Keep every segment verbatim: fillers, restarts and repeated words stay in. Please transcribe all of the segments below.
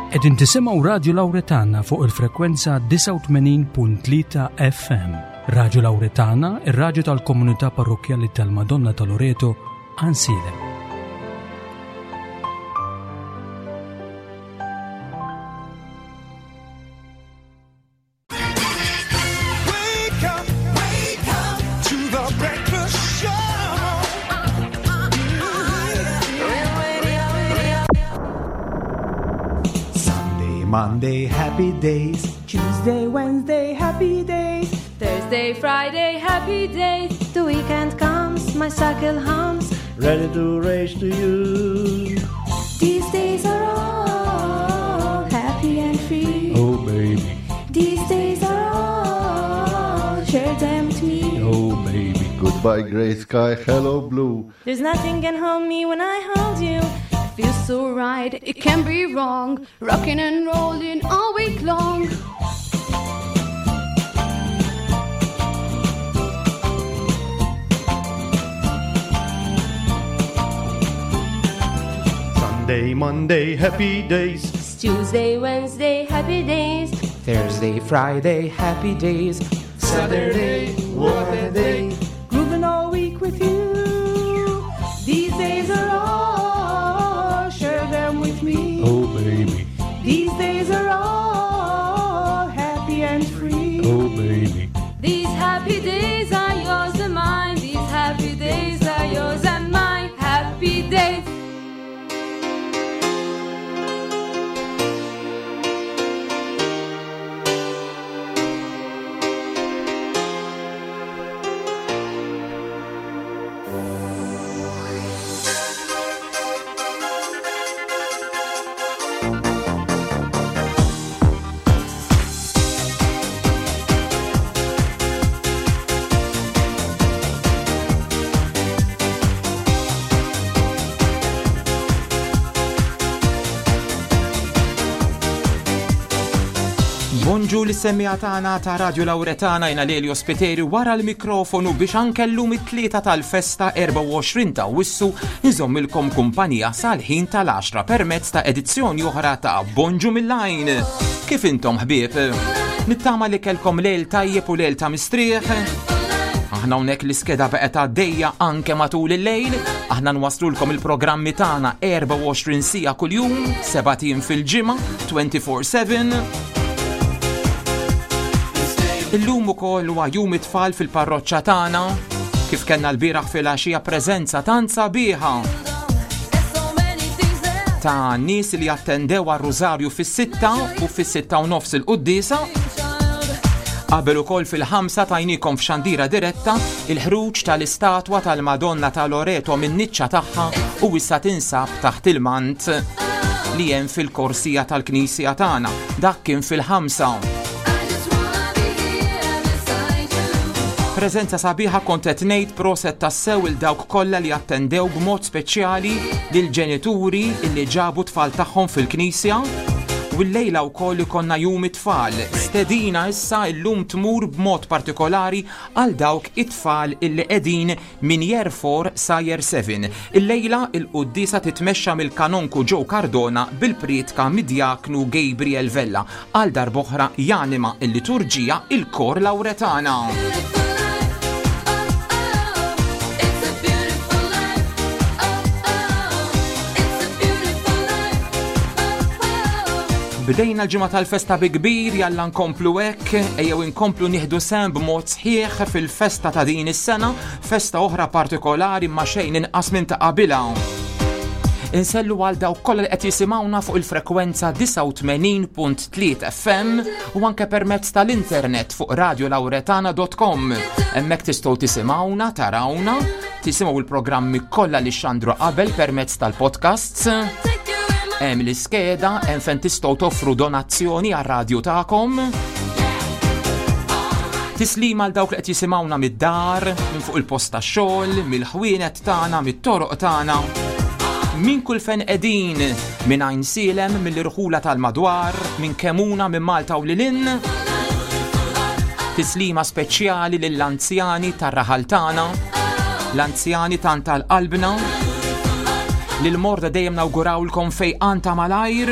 Qegħdin tisimgħu Radju Lawretana fuq il-frekwenza disgħa u tmenin punt tlieta F M. Radju Lawretana, ir-radju tal-komunità parrokkjali tal-Madonna ta' Loreto, Għajnsielem. Monday, happy days. Tuesday, Wednesday, happy days. Thursday, Friday, happy days. The weekend comes, my cycle hums. Ready to race to you. These days are all happy and free. Oh, baby. These days are all, share them with me. Oh, baby. Goodbye, grey sky, hello, blue. There's nothing can hold me when I hold you. Feels so right, it can't be wrong. Rocking and rolling all week long. Sunday, Monday, happy days. It's Tuesday, Wednesday, happy days. Thursday, Friday, happy days. Saturday, what a day. Grooving all week with you. These days are all, share them with me. Oh, baby. These days are all happy and free. Oh, baby. These happy days are yours and mine. These happy days are yours and mine. Happy days. Bonġu l-semmija tagħna ta' Radio Lawretana, jina Lelio Spiteri wara l-mikrofonu biex anke llum it-tlieta tal-festa erbgħa u għoxrin ta' Awwissu nżommilkom kumpanija sal-ħin tal-għaxra permezz ta' edizzjoni oħra ta' Bonġu mill-Għajn. Kif intom ħbieb? Nittama li kellkom lejl tajjeb u lejl ta' mistrieħ. Aħna hawnhekk l-iskeda baqgħet għaddejja anke matul il-lejl. Aħna nwaslulkom il-programmi tagħna erbgħa u għoxrin siegħa kuljum, seba' tim fil-ġimgħa, twenty-four seven. Illum ukoll huwa jum it-tfal fil-parroċċa tagħna, kif kellna l-bieraħ filgħaxija preżenza tant sabiħa ta' nies li attendew għar-Rużarju fis-sitta u fis-sitta u nofs il-quddiesa. Qabel ukoll fil-ħamsa tajnikom f'xandira diretta il-ħruġ tal-istatwa tal-Madonna ta' Loreto min-niċċa tagħha u issa tinsab taħt il-mant li hemm fil-korsija tal-knisja tagħna. Dak kien fil-ħamsa. Preżenza sabiħa kont qed ngħid proset tassew il dawk kollha li attendew b'mod speċjali lil ġenituri li ġabu tfal tagħhom fil-knisja. U llejla wkoll ikollna jum it-tfal. Stedina issa llum tmur b'mod partikolari għal dawk it-tfal illi qegħdin minn year four sa year seven. Illejla il-quddiesa titmexxa mill-kanonku Joe Cardona bil-prietka mid-djaknu Gabriel Vella. Għal darb'oħra janima il-liturġija il-Kor Lawretana. Bdejna l-ġimgħa tal-festa bi kbir, jalla nkomplu hekk, ejjew inkomplu nieħdu sehem b'mod sħiħ fil-festa ta' din is-sena, festa oħra partikolari ma xejn inqas minn ta' qabilha. Insellu għal dawk kollha li qed jisimgħuna fuq il-frekwenza disgħa u tmenin punt tliet F M u anke permezz tal-internet fuq radio lawretana dot com. Hemmhekk tistgħu tisimgħuna, tarawna, tisimgħu l-programmi kollha li xandru qabel permezz tal-podcasts. Hemm l-iskeda, hemm fejn tistgħu toffru donazzjoni għar-radju tagħkom. Tislima għal dawk li qed jisimgħuna mid-dar, minn fuq il-post tax-xogħol, mill-ħwienet tagħna, mit-toroq tagħna. Minn kull fejn qegħdin, minn Għajnsielem, mill-irħula tal-madwar, minn Kemuna, minn Malta u lil hinn. Tislima speċjali lill-anzjani tar-raħal tagħna, l-anzjani tant tal-qalbna. Lil morda dejjem nawgurawlkom fejqan ta' malajr.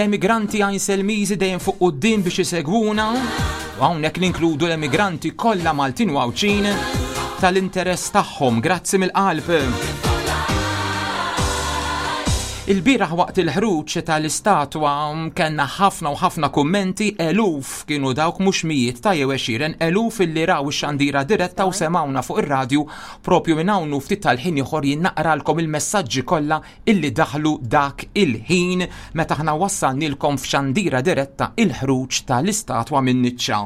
L-emigranti Għajnselmiżi dejjem fuq quddiem biex isegwuna, u hawnhekk ninkludu l-emigranti kollha Maltin u Għawdxin tal-interess tagħhom, grazzi mill-qalb. Il-bieraħ waqt il-ħruġ tal-istatwa kellna ħafna u ħafna kummenti, eluf kienu dawk mhux mijiet ta' jew għexieren, eluf illi raw ix-xandira diretta u semawna fuq ir-radju propju minn hawn u ftit tal-ħin ieħor jien naqralkom il-messaġġi kollha illi daħlu dak il-ħin meta aħna wassalnilkom f'xandira diretta il-ħruġ tal-istatwa minn niċċa.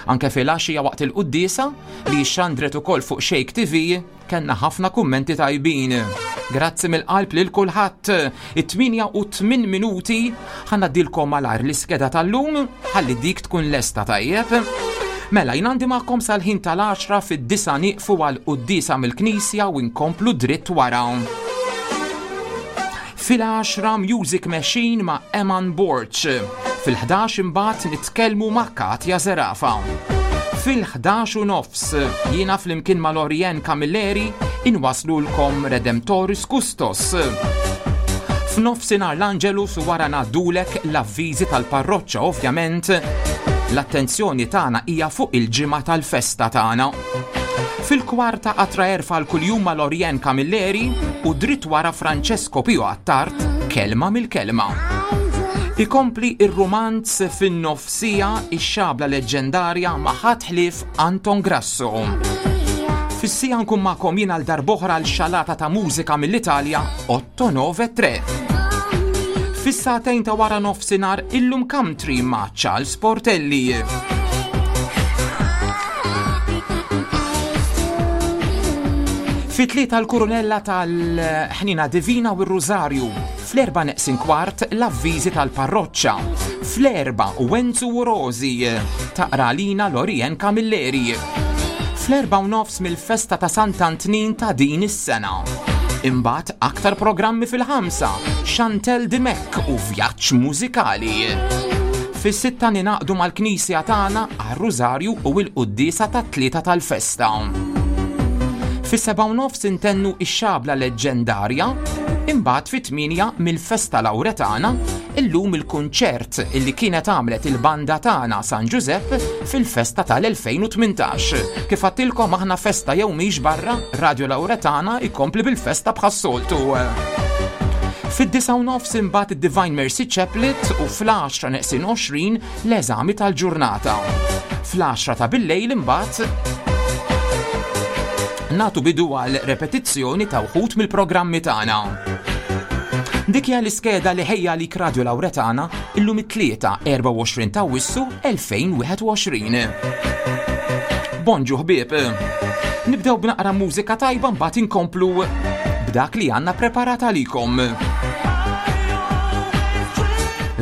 Anke fil-għaxija waqt il-quddiesa li xandret ukoll fuq Shake T V kellna ħafna kummenti tajbin. Grazzi mill-qalb lil kulħadd. It-tmienja u tmien minuti ħa ngħaddilkom malajr l-iskeda tal-lum ħalli dik tkun lesta tajjeb. Mela, jien għandi magħkom sal-ħin tal-għaxra, fid-disgħa nieqfu għal quddiesa mill-Knisja u nkomplu dritt wara. Fil-għaxra Music Machine ma' Eman Borch. Fil-ħdax imbagħad nitkellmu ma' Katja Zerafa. Fil-ħdax u nofs jiena flimkien ma' Lorien Camilleri inwaslulkom Redemptoris Custos. F'nofsinhar l-Angelus u wara ngħaddulek l-avviżi tal-parroċċa, ovvjament l-attenzjoni tagħna hija fuq il-ġimgħa tal-festa tagħna. Fil-kwarta qatra erfa l-kuljum ma' Lorien Camilleri u dritt wara Francesco Pio Attard, kelma mill-kelma. Ikompli ir-romanz fin-nofsija, ix-xabla leġendarja ma' ħadd ħlief Anton Grasso. Fis-siegħa nkun magħkom jien għal darb'oħra l-xalata ta' mużika mill-Italja otto nove tre. Fis-sagħtejn ta' wara nofsinhar illum country ma' Charles Portelli. Fit-tlieta l-kurunella tal-ħnina divina u r-Rużarju. Fl-erba neqsin kwart l-avviżi tal-parroċċa. Fl-erba Wenzu u Rosi taqra lina Lorien Camilleri. Fl-erba u nofs mill-festa ta' Sant'Antnin ta' din is-sena. Imbagħad aktar programmi fil-ħamsa, Chantel Dimek u vjaġġ mużikali. Fis-sitta ninaqdu mal-Knisja tagħna għar-Rużarju u l-quddiesa tat-tlieta tal-festa. Fis-seba' u nofs intennu ix-xabla leġġendarja, imbagħad fit-tmienja mill-festa Lawretana, illum il-kunċert illi kienet għamlet il-banda tagħna San Giuseppe fil-festa tal-elfejn u tmintax. Kif għedtilkom aħna festa jew mhix barra, Radio Lawretana ikompli bil-festa bħas-soltu. Fid-disgħa u nofs imbagħad id-Divine Mercy Chaplet u fl-għaxra neqsin għoxrin l-eżami tal-ġurnata. Fl-għaxra ta' billejl imbagħad natu bidu għal repetizzjoni ta' wħud mill-programmi tagħna. Dik hija l-iskeda li ħejja li Radio Lawretana illum it-tlieta erbgħa u għoxrin ta' Awwissu elfejn u wieħed u għoxrin. Bonġu ħbieb. Nibdew b'naqra mużika tajba, mbagħad inkomplu b'dak li għandna preparat għalikom.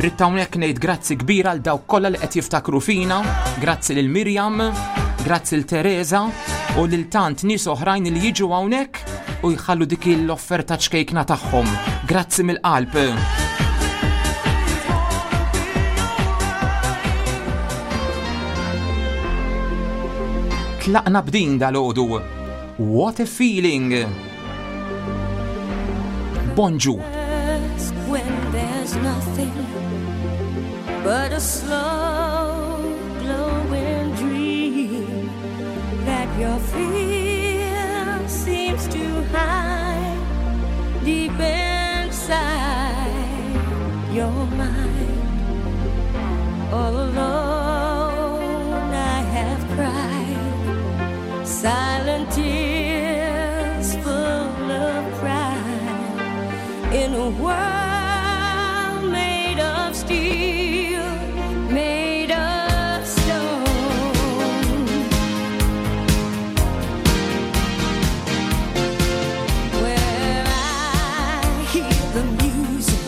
Ridt hawnhekk ngħid grazzi kbira għal dawk kollha li qed jiftakru fina, grazzi lil Mirjam, grazzi lil Teresa u lil tant nies oħrajn li jiġu hawnhekk u jħallu dik l-offerta ċkejkna tagħhom. Grazzi mill-qalb. Tlaqna b'din dal-għodu. What a feeling! Bonġu! When there's nothing but a slow glowing dream that your fear seems to hide deep inside your mind. All alone I have cried silent tears full of pride in a world made of steel, made of stone. Where I hear the music,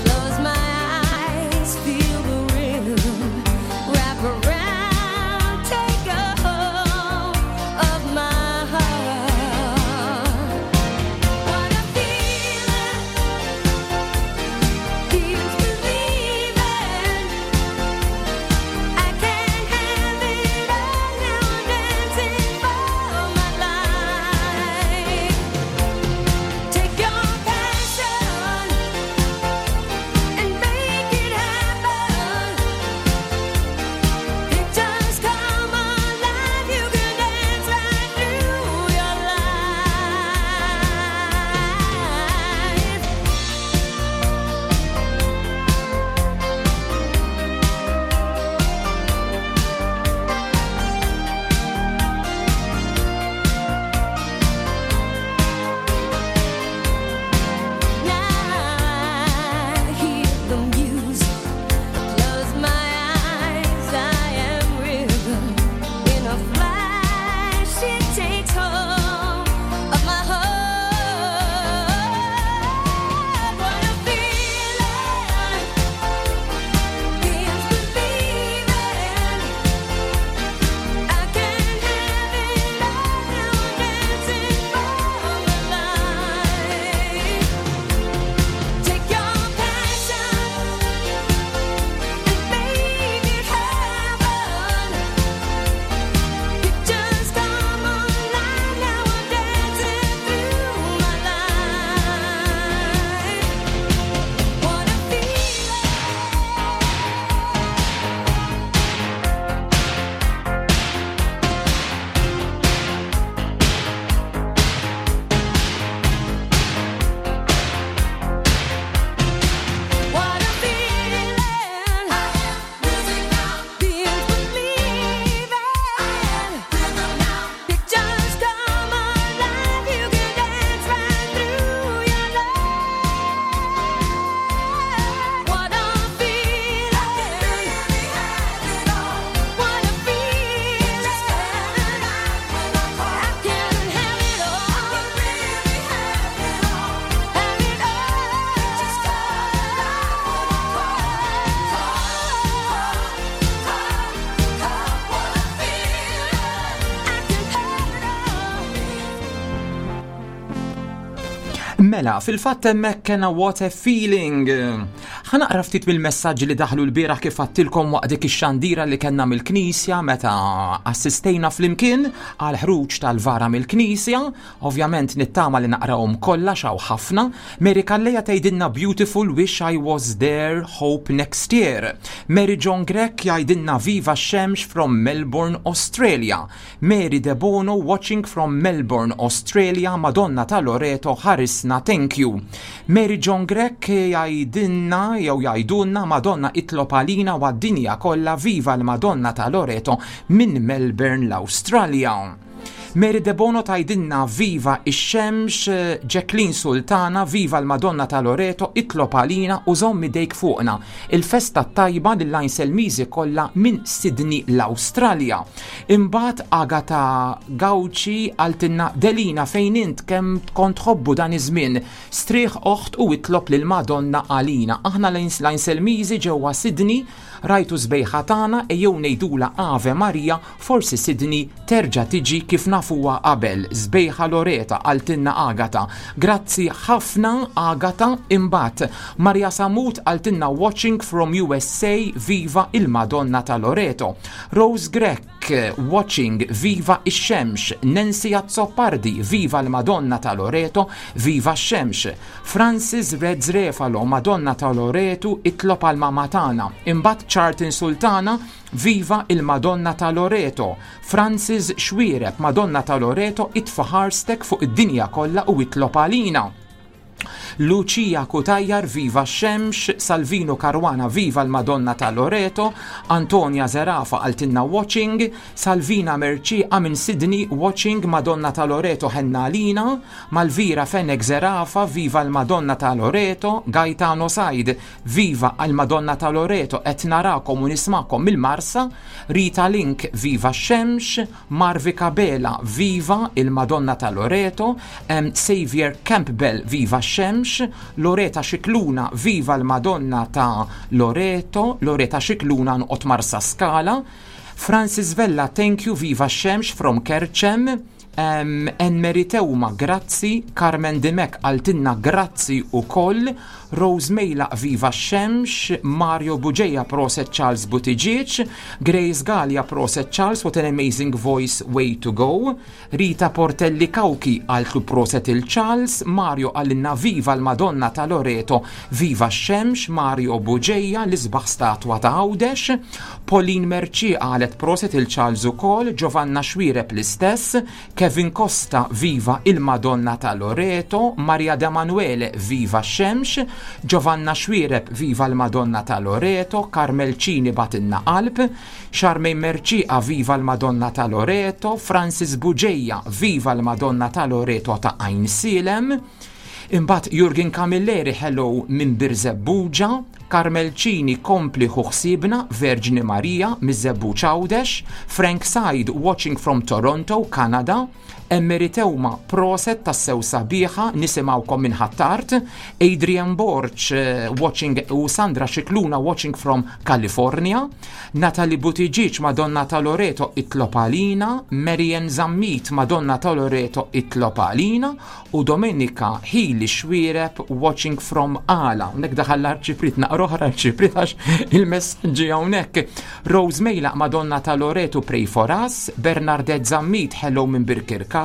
close my eyes, feel the rhythm. Mela, fil-fatt hemmhekk kena "What a Feeling". Ħa naqra ftit mill-messaġġi li daħlu l-bieraħ, kif għedtilkom, waqt dik ix-xandira li kellna mill-Knisja meta assistejna flimkien għal ħruġ tal-vara mill-Knisja. Ovvjament nittama li naqrawhom kollha, xaw ħafna. Mary Calleja tgħidilna, "Beautiful, wish I was there, hope next year." Mary John Grech jgħidilna, "Viva Xemx from Melbourne, Australia." Mary De Bono watching from Melbourne, Australia, Madonna ta' Loreto ħarisna, thank you. Mary John Grech jgħidilna jew jgħidulna, "Madonna itlob għalina u għad-dinja kollha, viva l-Madonna ta' Loreto minn Melbourne, l-Australia." Mary De Bono tgħidilna, "Viva ix-xemx." Jacqueline Sultana, "Viva l-Madonna ta' Loreto, itlob għalina u żomm idejk fuqna. Il-festa tajba lill-Għajnselmiżi kollha minn Sydney, l-Awstralja." Imbagħad Agata Gauci qaltilna, "Delina, fejn int? Kemm kont tħobbu dan iż-żmien. Strieħ oħt u itlob lil Madonna għalina. Aħna l-Għajnselmiżi ġewwa Sydney, rajtu sbejħa tagħna, ejjew ngħidula Ave Maria, forsi Sydney terġa' tiġi kif nafuha qabel. Sbejħa Loreta," qaltilna Agata. Grazzi ħafna, Agata. Imbagħad Maria Samut qaltilna, "Watching from U S A, viva il-Madonna ta' Loreto." Rose Grech watching, "Viva ix-xemx." Nancy Azzopardi, "Viva l-Madonna ta' Loreto, viva x-xemx." Francis Reds Refalo, "Madonna ta' Loreto itlob għal mama tagħna." Imbagħad Charlton Sultana, "Viva il-Madonna ta' Loreto." Francis Xwireb, "Madonna ta' Loreto itfa' ħarstek fuq id-dinja kollha u itlob għalina." Lucia Cutajar, "Viva Xemx." Salvino Caruana, "Viva l-Madonna ta' Loreto." Antonia Zerafa qaltilna, "Watching." Salvina Merċiqa minn Sydney, "Watching, Madonna ta' Loreto ħennalina." Malvira Fenek Zerafa, "Viva l-Madonna ta' Loreto." Gaetano Said, "Viva l-Madonna ta' Loreto, qed narakom u nismakom mill-Marsa." Rita Link, "Viva Xemx." Marvi Kabela, "Viva il-Madonna ta' Loreto." um, Xavier Campbell, "Viva Xemx." Loreta Xikluna, "Viva l-Madonna ta' Loreto." Loreta Xikluna noqgħod Marsa Skala. Francis Vella, "Thank you, Viva Xemx from Kerċem." Um, Enmeri Teuma, grazzi. Carmen Dimek qaltilna grazzi ukoll. Rose Mejla, "Viva Xemx." Mario Bugeja, "Proset Charles Buttigieg." Grace Gallia, "Proset Charles, what an amazing voice, way to go." Rita Portelli Kauki qaltlu proset il-Charles. Mario qalilna, "Viva l-Madonna ta' Loreto, Viva Xemx." Mario Bugeja, "L-isbaħ statwa ta' Għawdex." Pauline Merci qalet proset il-Charles ukoll. Giovanna Xwireb l-istess. Kevin Costa, "Viva il-Madonna ta' Loreto." Maria De Manuele, "Viva Xemx." Giovanna Xwireb, "Viva l-Madonna ta' Loreto." Carmel Cini bagħtilna qalb. Charmaine Merċiqa, "Viva l-Madonna ta' Loreto." Francis Bugeja, "Viva l-Madonna ta' Loreto ta' Għajnsielem." Imbagħad Jurgen Camilleri, "Hello minn Birżebbuġa." Carmel Cini, "Kompli ħu ħsiebna, Verġni Marija," miż-Żebbuġ Għawdex. Frank Said, watching from Toronto, Canada. Emery Teuma, "Proset tassew sabiħa, nisimgħukom minn Ħ'Attard." Adrian Borch, eh, watching, u Sandra Xikluna, watching from California. Natalie Buttigieg, "Madonna ta' Loreto itlob għalina." Marian Zammit, "Madonna ta' Loreto itlob għalina." U Domenica Hili Xwireb, watching from Għala. Nek daħal l-arċipriet, naqra oħra arċipriet għax il-messagġi hawnhekk. Rose Mejla, "Madonna ta' Loreto pray for us." Bernardet Zammit, "Hello minn Birkirkara."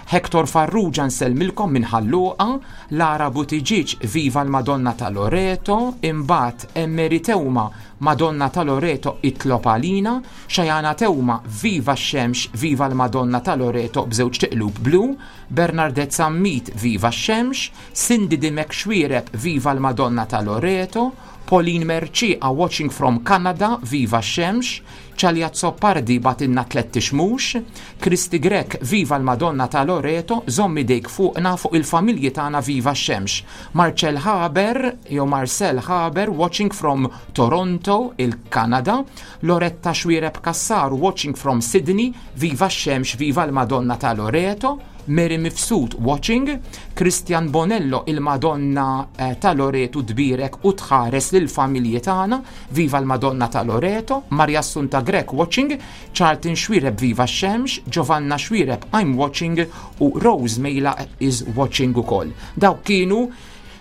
Hector Farrugia, "Nsellmilkom minn Ħal Luqa." Lara Buttigieg, "Viva l-Madonna ta' Loreto." Imbagħad Emery Teuma, "Madonna ta' Loreto itlob għalina." Xajana Teuma, "Viva x-Xemx, viva l-Madonna ta' Loreto," b'żewġ tiqlub blu. Bernardet Zammit, "Viva x-Xemx." Cindy Dimek Xwireb, "Viva l-Madonna ta' Loreto." Pauline Merċiqa, watching from Canada, "Viva Xemx." Ċalja Zoppardi bagħtilna tlett xmux. Kristi Grek, "Viva l-Madonna ta' Loreto, żomm idejk fuqna, fuq il-familji tagħna, Viva Xemx." Marcel Haber, jew Marcel Haber, watching from Toronto, il-Kanada. Loretta Xwireb Kassar, watching from Sydney, "Viva Xemx, Viva l-Madonna ta' Loreto." Mary Mifsud watching, Christian Bonello, il-Madonna eh, ta' Loreto tbierek u tħares lil familji tagħna, viva l-Madonna ta' Loreto, Maria Assunta Grech watching, Charlton Xuereb, viva x-xemx, Giovanna Xuereb, I'm watching, u Rose Mejla is watching ukoll. Dawk kienu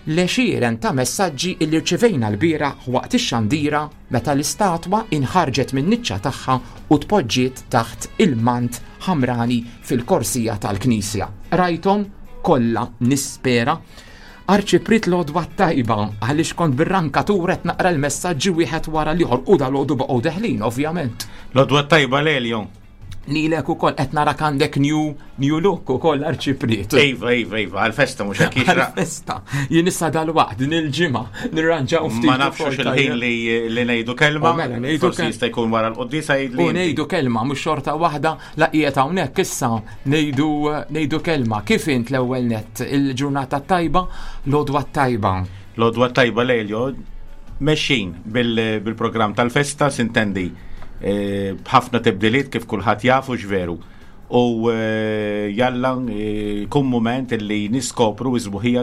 l-għexieren ta' messaġġi illi rċevejna lbieraħ waqt ix-xandira meta l-istatwa inħarġet minn niċċa tagħha u tpoġġiet taħt il-mant ħamrani fil-korsija tal-Knisja. Rajthom kollha, nispera. Arċipriet, l-għodwa tajba, għaliex kont bir-rankatura qed naqra l-messaġġi wieħed wara l-ieħor u dal-għodu baqgħu deħlin, ovvjament. L-għodwa tajba, Lelio. Lilek ukoll, qed narak għandek new, new look ukoll, Arċipriet. Iva, iva, iva, għal-festa mhux hekk jixraq. Għal-festa. Jien issa dal-waqt din il-ġimgħa nirranġaw ftit. Ma nafx ukoll il-ħin tajjeb. li li ngħidu kelma. U mela, ngħidu Forsi kel- jista' jkun wara l-quddiesa, jgħid li. U ngħidu kelma, mhux xorta waħda la qiegħed hawnhekk issa ngħidu ngħidu kelma. Kif int l-ewwel net, il-ġurnata tajba, l-għodwa tajba? L-għodwa tajba, Lelio, mexxin bil- bil-programm tal-festa, sintendi, eh, b'ħafna tibdiliet kif kulħadd jafu veru. U eh, jalla eh, kun moment li niskopru is-sbuħija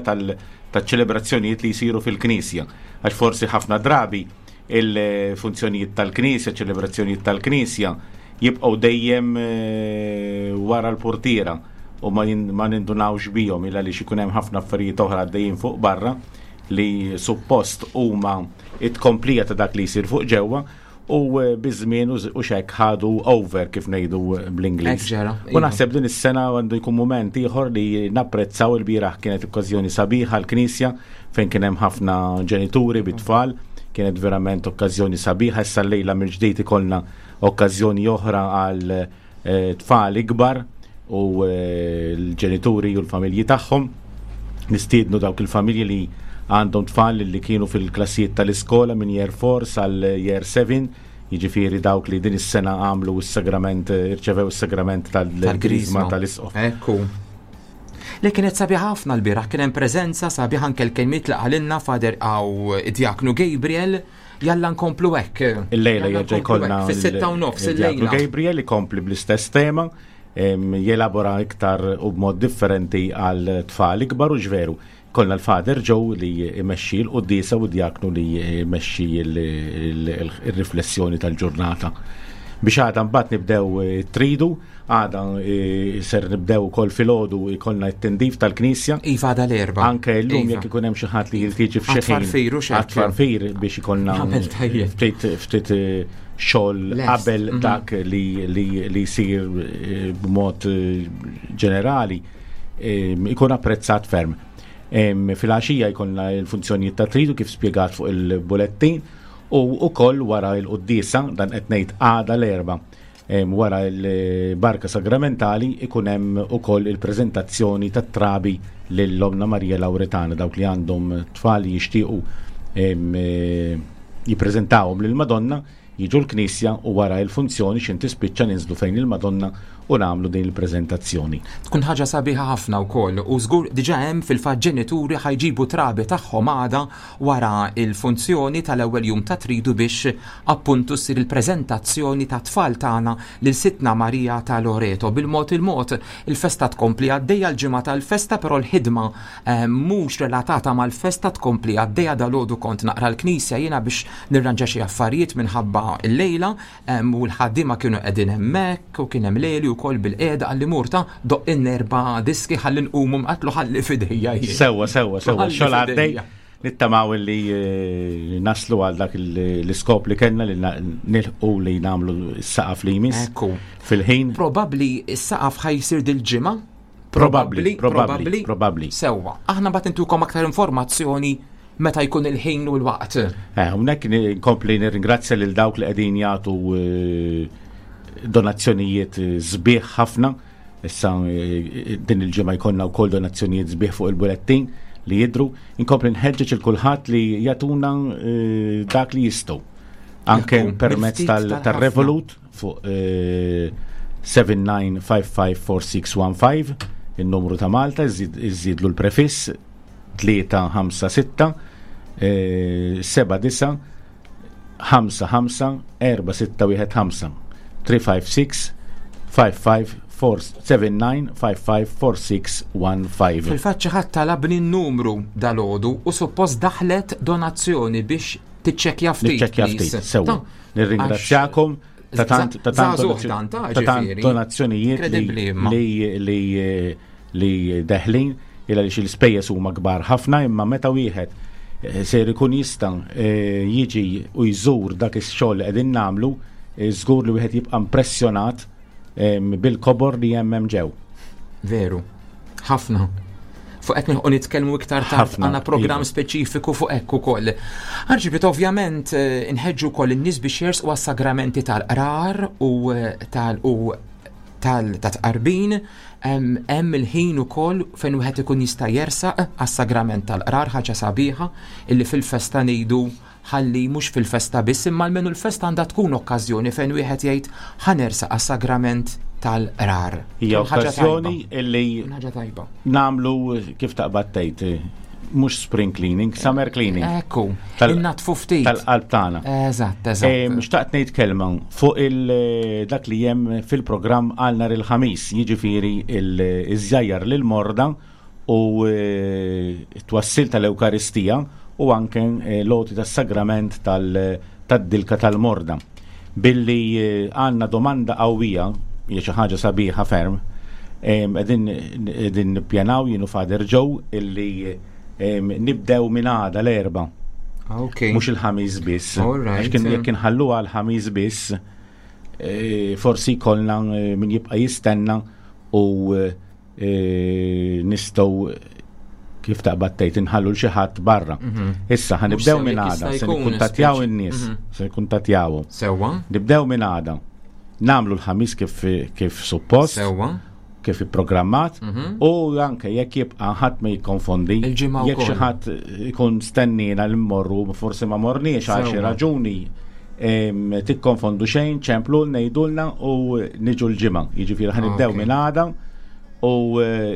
tal-ċelebrazzjonijiet li jsiru fil-Knisja. Għax forsi ħafna drabi il-funzjonijiet tal-Knisja, ċelebrazzjonijiet tal-Knisja jibqgħu dejjem eh, wara l-portiera u ma jin- ma nindunawx bihom illa li ikun hemm ħafna affarijiet oħra għaddejjin fuq barra li suppost huma it-komplija ta' dak li jsir fuq ġewwa u eh, biż-żmien u z- u xek ħadu over, kif ngħidu eh, bl-Ingliż. Hekk ġara, U iva. naħseb din is-sena għandu jkun moment ieħor li napprezzaw. Il-bieraħ kienet okkażjoni sabiħa l-Knisja fejn kien hemm ħafna ġenituri bit-tfal, kienet verament okkażjoni sabiħa. Issa llejla mill-ġdid ikollna okkażjoni oħra għal eh, tfal ikbar u eh, l-ġenituri u l-familji tagħhom. Nistiednu dawk il-familji li għandhom tfal li kienu fil-klassijiet tal-iskola minn year four sal year seven, jiġifieri dawk li din is-sena għamlu s-sagrament, irċevew is-sagrament tal-Grizma tal-Isqof. Ekku. Li kienet sabiħ ħafna l-bieraħ, kien hemm preżenza sabiħ, anke l-kelmiet li qalilna Father għaw Djaknu Gabriel, jalla nkomplu hekk. Il-lejla Jalla jerġa' nkomplu jkollna hekk, fis-sitta u nofs il-Djaknu il-lejla. Gabriel ikompli bl-istess tema, em, jelabora iktar u b'mod differenti għal tfal ikbar u ġveru. Kollna l-Father Joe li jmexxi l-quddiesa u d-djaknu li jmexxi il-riflessjoni tal-ġurnata. Biex għada mbagħad nibdew eh, tridu, għada eh, ser nibdew ukoll filgħodu ikollna t-tindif tal-Knisja. Iva, għada l-Erbgħa. Anke llum Iva. jekk ikun hemm xi ħadd li jiltiġi f'xi ħin. Għat-tfarfir u x'hekk. Għat-tfarfir biex ikollna Għamel tajjeb. ftit ftit eh, xogħol Lest. qabel Mhm. dak li li li jsir eh, b'mod eh, ġenerali eh, ikun apprezzat ferm. Em, Fil-għaxija jkollna l-funzjonijiet ta' tridu kif spjegat fuq il-bulettin u ukoll wara l-quddiesa, dan qed ngħid għada l-Erbgħa, em, wara l-barka sagramentali ikun hemm ukoll il-preżentazzjoni tat-trabi lil Ommna Marija Lauretana, dawk li għandhom tfal li jixtiequ em, eh, jippreżentawhom lill-Madonna jiġu l-Knisja u wara il-funzjoni x'ħin tispiċċa ninżlu fejn il-Madonna u nagħmlu din il-preżentazzjoni. Tkun ħaġa sabiħa ħafna wkoll u żgur diġà hemm fil-fatt ġenituri ħa jġibu trabi tagħhom għada wara il-funzjoni tal-ewwel jum ta' tridu biex appuntu ssir il-preżentazzjoni ta' tfal tagħna lil Sidtna Marija ta' Loreto. Bil-mod il-mod il-festa tkompli għaddejja, l-ġimgħa tal-festa, però l-ħidma eh, mhux relatata mal-festa tkompli għaddejja. Dalgħodu kont naqra l-Knisja jiena biex nirranġa xi affarijiet minħabba l-lejla em, u l-ħaddiema kienu qegħdin hemmhekk u kien hemm Leli wkoll bilqiegħda, qalli, "Mur ta, doqq erba' diski ħalli nqumu." Għedtlu, "Ħalli f'idejja jien." Sewwa, sewwa, sewwa, Ħalli xogħol għaddej. f'idejja. Nittamaw li eh, naslu għal dak il- l-iskop li kellna li na- nilħqu li nagħmlu s-saqaf li jmiss Ekku. fil-ħin. Probabbli s-saqaf ħa jsir dil-ġimgħa. Probabbli, probabbli, probabbli. Sewwa. Aħna mbagħad intukom aktar informazzjoni meta jkun il-ħin u l-waqt. Eh, Hawnhekk nkompli nirringrazzja lil dawk li qegħdin jagħtu eh, donazzjonijiet eh, sbieħ ħafna. Issa eh, din il-ġimgħa jkollna wkoll donazzjonijiet sbieħ fuq il-bulettin li jidru. Inkompli nħeġġeġ il kulħadd li jagħtuna eh, dak li jistgħu. Anke Ekku, permezz mill-ftit tal- tal-ħafna. tal-Revolut fuq eh, seba' tnejn ħamsa ħamsa erba' sitta wieħed ħamsa, il-numru ta' Malta, iżid- iżidlu l-prefiss tlieta ħamsa sitta seba' disa' ħamsa ħamsa erba' sitta wieħed ħamsa, tlieta ħamsa sitta ħamsa ħamsa four seven nine five five four six one five. Fil-fatt xi ħadd talabni n-numru dalgħodu u suppost daħlet donazzjoni biex tiċċekkja ftit. Niċċekkja ftit, sewwa. Nirringrazzjakom ta' tant ta' tant donazzjonijiet li li li deħlin illa li l-ispejjeż huma kbar ħafna, imma meta wieħed ser ikun jista' jiġi u jżur dak ix-xogħol li qegħdin nagħmlu, żgur li wieħed jibqa' impressjonat bil-kobor li hemm hemm ġew. Veru, ħafna. Fuq hekk nilħqu nitkellmu iktar tard, għandna programm speċifiku fuq hekk ukoll. Arċipriet, ovvjament inħeġġu wkoll in-nies biex jersqu għas-sagramenti tal-qrar u tal u tal-tqarbin. Hemm il-ħin ukoll fejn wieħed ikun jista' jersaq għas-sagrament tal-qrar, ħaġa sabiħa illi fil-festa ngħidu ħalli mhux fil-festa biss, imma almenu l-festa għandha tkun okkażjoni fejn wieħed jgħid ħanersaq għas-sagrament tal-qrar. Hija okkażjoni illi nagħmlu kif taqbad tgħid, mhux spring cleaning, summer cleaning. Ekku, innatfu ftit. Tal-qalb tagħna. Eżatt, eżatt. Xtaqt ngħid kelma fuq dak li hemm fil-programm għal nhar il-Ħamis, jiġifieri iż-żjajjar lil morda u t-twassil tal-Ewkaristija u anke l-għoti tas-sagrament tad-dilka tal-morda. Billi għandna domanda qawwija, hija xi ħaġa sabiħa ferm, qegħdin nippjanaw jien u Father Joe illi nibdew minn għada l-erba. Mhux il-Ħamis biss. Għax kien jekk inħalluha l-Ħamis biss, forsi jkollna min jibqa' jistenna u nistgħu kif taqbad tgħid inħallu l xi ħadd barra. Issa ħanibdew minn għada, se nikkuntattjaw in-nies, se nikkuntattjawhom. Sewwa. Nibdew minn għada. Nagħmlu l-Ħamis kif kif suppost. Sewwa. Kif ipprogrammat, u anke jekk jibqa' ħadd ma jikkonfondi, jekk xi ħadd ikun stennina li mmorru forsi ma morniex għal xi raġuni, tikkonfondu xejn, ċemplu ngħidulna u niġu l-ġimgħa. Jiġifieri ħanibdew minn għada u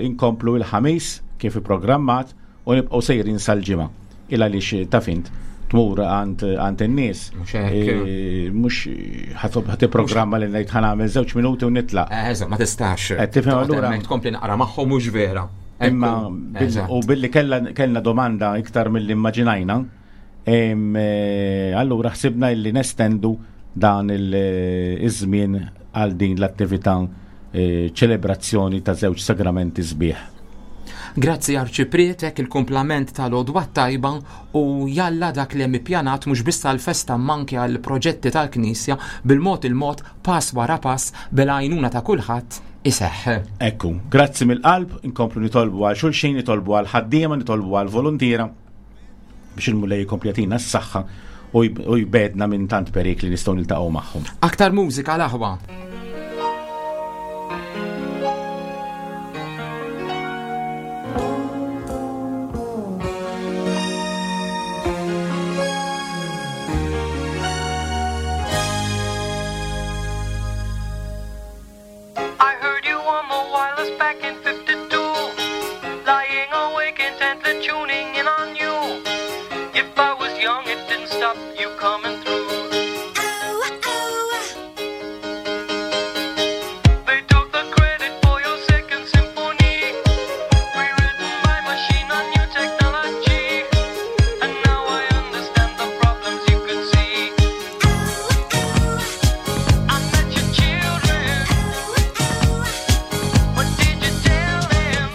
inkomplu l-Ħamis kif ipprogrammat u nibqgħu sejrin sal-ġimgħa. Il għaliex taf int tmur għand in-nies, mhux ħadd ipprogramma li ngħid ħa nagħmel żewġ minuti u nitlaq. Eżatt, ma tistax. Qed tifhem allura tkompli naqra magħhom mhux vera. Imma u billi kellna domanda iktar milli immaġinajna, allura ħsibna illi nestendu dan iż-żmien għal din l-attività ċelebrazzjoni ta' żewġ sagramenti sbieħ. Grazzi Arċipriet, hekk il-kumplament tal-għodwa tajba u jalla dak li hemm ippjanat mhux biss għall-festa manki għall-proġetti tal-Knisja bil-mod il-mod pass wara pass bil-għajnuna ta' kulħadd iseħħ. Ekku, grazzi mill-qalb, inkomplu nitolbu għal xulxin, nitolbu għal ħaddiema, nitolbu għal volontiera biex il-Mulej jkompli jagħtina s-saħħa u jbedna minn tant perikli nistgħu niltaqgħu magħhom. Aktar mużika l-aħwa.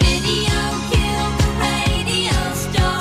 Video killed the radio star.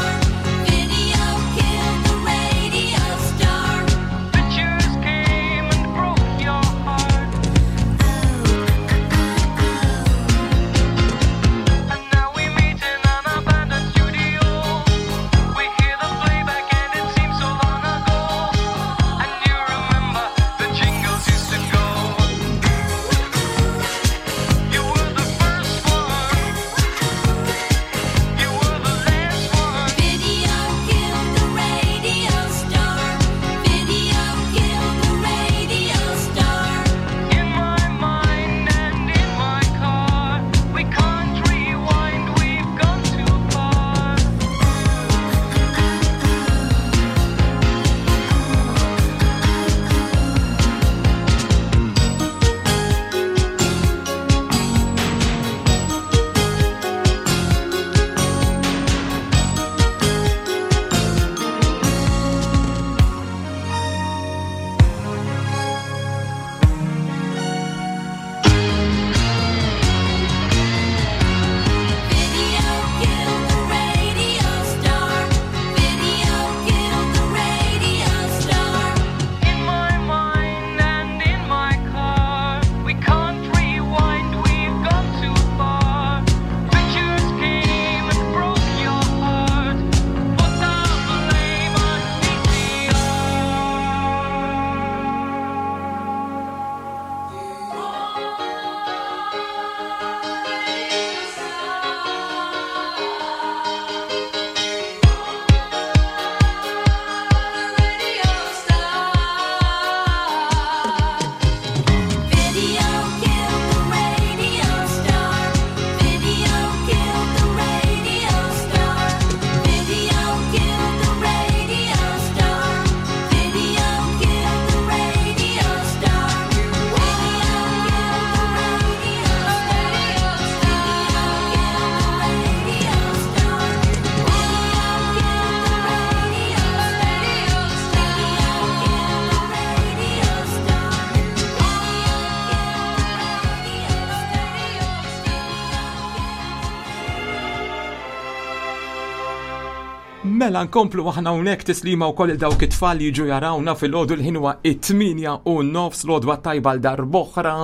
Mela nkomplu aħna hawnhekk tislima wkoll il dawk it-tfal li jiġu jarawna fil-għodu l-ħin huwa it-tmienja u nofs l-għodwa tajba l darb'oħra.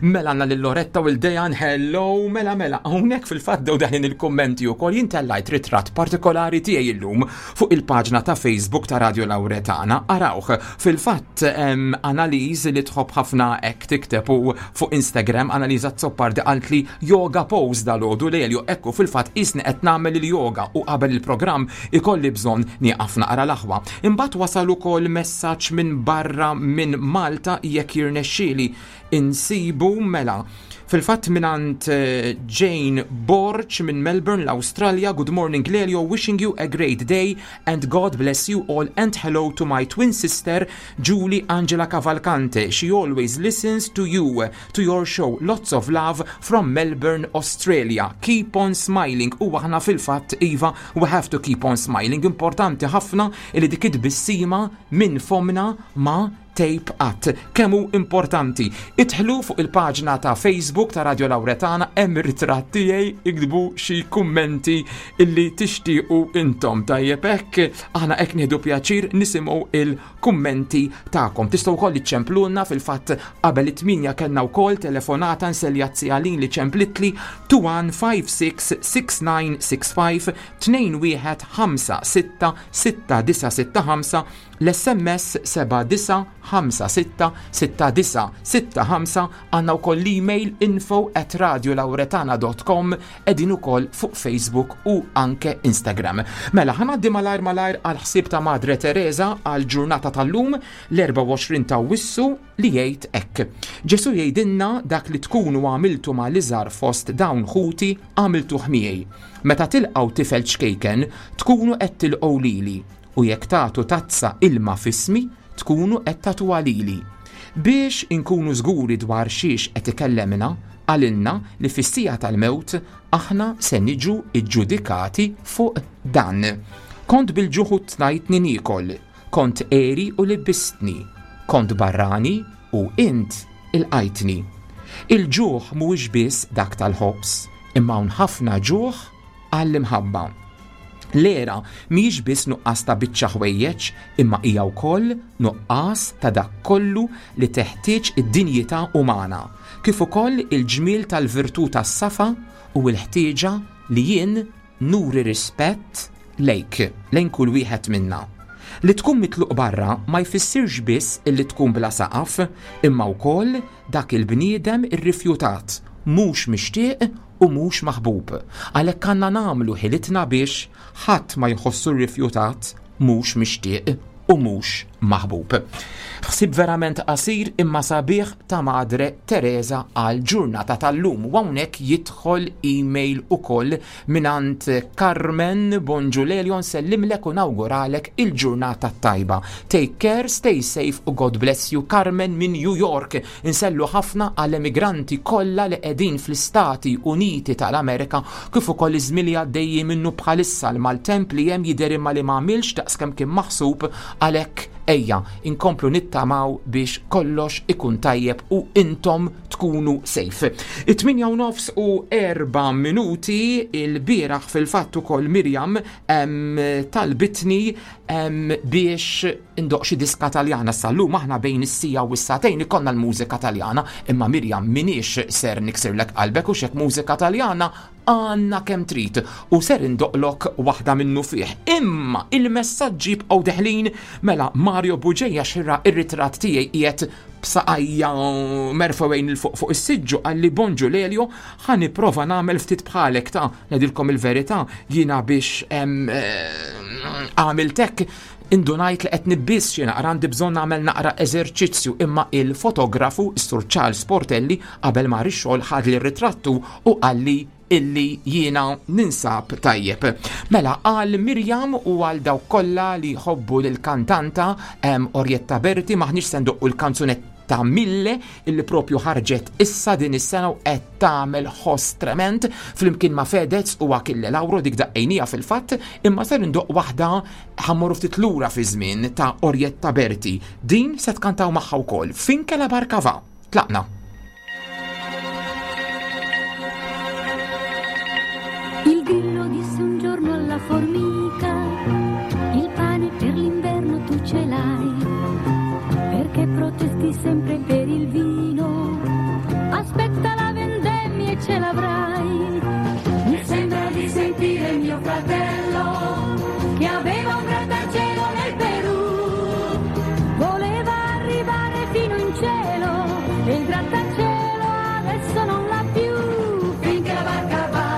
Mela għandna lil Loretta u l-Dejan, hello, mela mela hawnhekk fil-fatt dew daħlin il-kummenti wkoll jien tellajt ritratt partikolari tiegħi illum fuq il-paġna ta' Facebook ta' Radio Lauretana. Arawh, fil-fatt Analiż li tħobb ħafna hekk tikteb u fuq Instagram Analiża Zoppardi qaltli yoga pose dal-għodu Lelio, ekku fil-fatt isni qed nagħmel il-yoga u qabel il-programm ikolli bżonn nieqaf naqra l-aħwa. Imbagħad wasal ukoll messaġġ minn barra minn Malta jekk jirnexxieli insibu mela. Fil-fatt mingħand Jane Borch minn Melbourne, l-Australia. Good morning Lelio, wishing you a great day and God bless you all and hello to my twin sister Julie Angela Cavalcante. She always listens to you, to your show. Lots of love from Melbourne, Australia. Keep on smiling. U aħna fil-fatt iva, we have to keep on smiling. Importanti ħafna li dik it-tbissima minn fomna ma tape at. Kemm hu importanti. Idħlu fuq il-paġna ta' Facebook ta' Radio Lauretana, hemm ir-ritratt tiegħi, iktbu xi kummenti illi tixtiequ intom. Tajjeb hekk, aħna hekk nieħdu pjaċir nisimgħu il-kummenti tagħkom. Tistgħu wkoll iċċemplulna fil-fatt qabel it-tminja kellna wkoll telefonata nselja Għalin li ċemplitli two one five six six nine six five tnejn wieħed ħamsa sitta sitta disa sitta ħamsa, l-S M S seba' disa ħamsa sitta sitta disa sitta ħamsa, għandna wkoll l-email info at radio lauretana dot com, qegħdin ukoll fuq Facebook u anke Instagram. Mela, ħa ngħaddi malajr malajr għal ħsieb ta' Madre Teresa għal ġurnata tal-lum l-erbgħa u għoxrin ta' Awwissu li jgħid hekk. Ġesu jgħidilna dak li tkunu għamiltu ma' l-iżgħar fost dawn ħuti għamiltuh miegħi. Meta tilqgħu tifel ċkejken tkunu qed tilqgħu lili, u jekk tagħtu tazza ilma fismi tkunu qed tagħtuha lili. Biex inkunu żguri dwar xiex qed ikellemna, qalilna li fis-sija tal-mewt aħna se niġu iġġudikati fuq dan. Kont bil-ġuħ u tnajtni niekol, kont għeri u libbistni, kont barrani u int ilqajtni. Il-ġuħ mhuwiex biss dak tal-ħobż, imma hawn ħafna ġuħ għall-imħabba. L-era mhijiex biss nuqqas ta' biċċa ħwejjeġ, imma hija wkoll nuqqas ta' dak kollu li teħtieġ id-dinjità umana, kif ukoll il-ġmiel tal-virtù tas-safa u l-ħtieġa li jien nuri rispett lejk, lejn kull wieħed minna. Li tkun mitluq barra ma jfissirx biss illi tkun bla saqaf, imma wkoll dak il-bniedem irrifjutat, mhux mixtieq u mhux maħbub. Għalhekk għandna nagħmlu ħilitna biex ħadd ma jħossu rrifjutat, mhux mixtieq u mhux maħbub. Ħsieb verament qasir imma sabiħ ta' Madre Teresa għal ġurnata tal-lum. U hawnhekk jidħol email ukoll mingħand Carmen. Bonġu Lelio, nsellimlek u nawguralek il-ġurnata tajba. Take care, stay safe u God bless you. Carmen minn New York. Insellu ħafna għall-emigranti kollha li qegħdin fl-Istati Uniti tal-Amerika, kif ukoll iż-żmien li għaddejjin minnu bħalissa l-maltemp li hemm jidher imma li ma għamilx daqskemm kien maħsub, għalhekk ejja inkomplu nittamaw biex kollox ikun tajjeb u intom tkunu safe. It-tminja u nofs u erba' minuti il-bieraħ fil-fatt ukoll Mirjam, em, talbitni, em, biex indoq xi diska Taljana. Sal-lum aħna bejn is-sija u s-sagħtejn ikollna l-mużika Taljana, imma Mirjam minix ser niksirlek qalbek u xek mużika Taljana għandna kemm trid u ser indoqlok waħda minnu fih. Imma il-messaġġi bqgħu deħlin. Mela Mario Buġeja xirra ir-ritratt tiegħi qiegħed b'saqajja merfewejn il fuq fuq is-siġġu, qalli bonġu Lelio, ħa nipprova nagħmel ftit bħalek ta' ngħidilkom il-verità, jiena biex, em, eh, għamilt hekk indunajt li qed nibbiss xi naqra, għandi bżonn nagħmel naqra eżerċizzju, imma il-fotografu Sur Charles Portelli qabel mar ix-xogħol ħadli r-ritrattu u qalli illi jiena ninsab tajjeb. Mela għal Mirjam u għal dawk kollha li jħobbu lill-kantanta, em, Orietta Berti, maħniex se ndoqqu l-kanzunetta Mille illi propju ħarġet issa din is-sena u qed tagħmel ħoss trement flimkien ma' Fedez u Achille Lauro, dik daqqejnija fil-fatt, imma ser indoq waħda ħammorru ftit lura fi żmien ta' Orietta Berti. Din se tkantaw magħha wkoll. Finché la barca va. Tlaqna. Il grillo disse un giorno alla formica, ce l'hai, perché protesti sempre per il vino? Aspetta la vendemmia e ce l'avrai. Mi sembra di sentire mio fratello che aveva un grattacielo nel Perù. Voleva arrivare fino in cielo e il grattacielo adesso non l'ha più. Finché la barca va,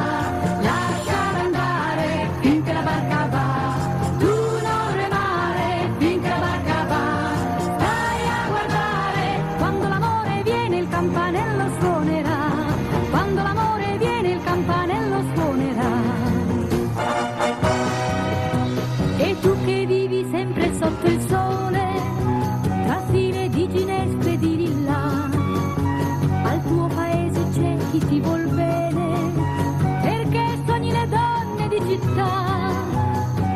lasciala andare, finché la barca va, tu non remare, finché la barca va, stai a guardare. Quando l'amore viene il campanello suonerà, quando l'amore viene il campanello suonerà. E tu che vivi sempre sotto il sole, tra file di ginestre e di lilla, al tuo paese c'è chi ti vuol bene, perché sogni le donne di città.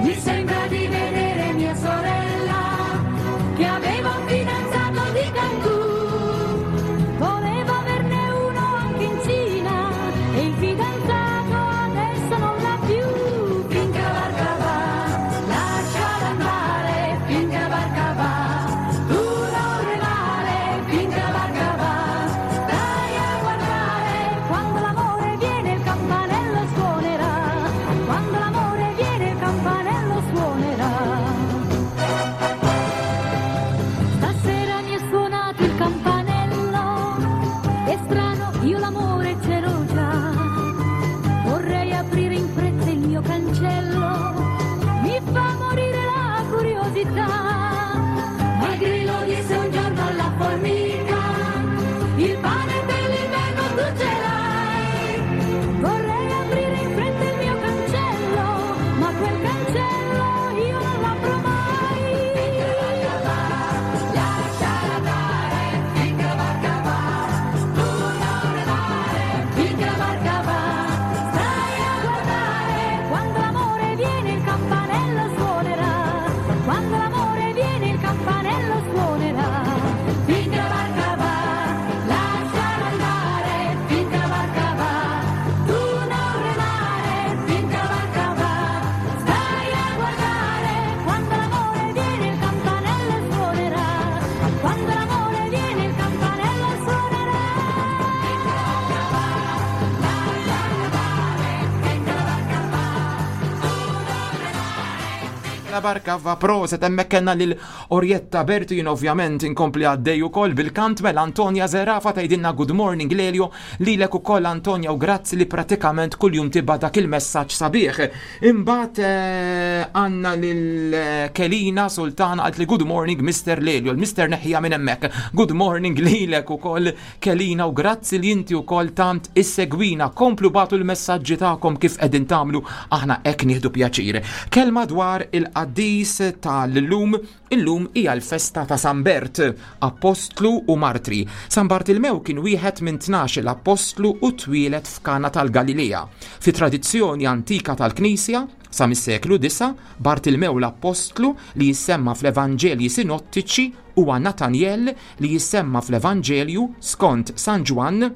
Mi sembra di vedere mia sorella, che aveva un fidanzato di Cancun. Voleva averne uno anche in Cina, e il fidanzato adesso non l'ha più. Finché la barca va, lasciala andare, finché la barca va, tu non remare, finché la barca va, stai a guardare. Quando l'amore viene il campanello suonerà, quando l'amore viene il campanello suonerà. Stasera mi è suonato il campanello, è strano, io l'amore ce l'ho già. Vorrei aprire in fretta il mio cancello, mi fa morire la curiosità. Ma il grillo disse un giorno alla formica, il pane per l'inverno tu ce l'hai. Vorrei aprire in fretta il mio cancello, ma quel cancello io non l'apro mai. Lasciala andare, finché la barca va, tu non remare, finché la barca va, stai a guardare. Quando l'amore viene il campanello suonerà, quando l'amore viene il campanello suonerà. Finché la barca va, lasciala andare, finché la barca va, tu non remare, finché la barca va, stai a guardare. Quando l'amore viene il campanello suonerà, quando l'amore viene il campanello suonerà. La barka va proset hemmhekk kellna lil Orietta Bertin, ovvjament inkompli għaddej ukoll bil-kant. Mela Antonia Zerafa tgħidilna good morning Lelio, lilek ukoll Antonia, u grazzi li pratikament kuljum tibgħat dak il-messaġġ sabiħ. Imbagħad eh, għandna lil eh, Kelina Sultana qalt li good morning Mister Lelio, il-Mister neħja minn hemmhekk. Good morning lilek ukoll Kelina u grazzi li inti ukoll tant issegwina. Komplu bagħtu l-messaġġi tagħkom kif qegħdin tagħmlu, aħna hekk nieħdu pjaċir. Kelma dwar il-qaddis tal-lum, illum hija l-festa ta' San Bert, apostlu u martri. San Bartilmew kien wieħed minn tnax l-apostlu u twieled f'Kana tal-Galilea. Fi tradizzjoni antika tal-Knisja, sa mis-seklu disa, Bartilmew l-apostlu li jissemma fl-Evanġelji sinottiċi huwa Natanjel li jissemma fl-Evanġelju skont San Ġwann,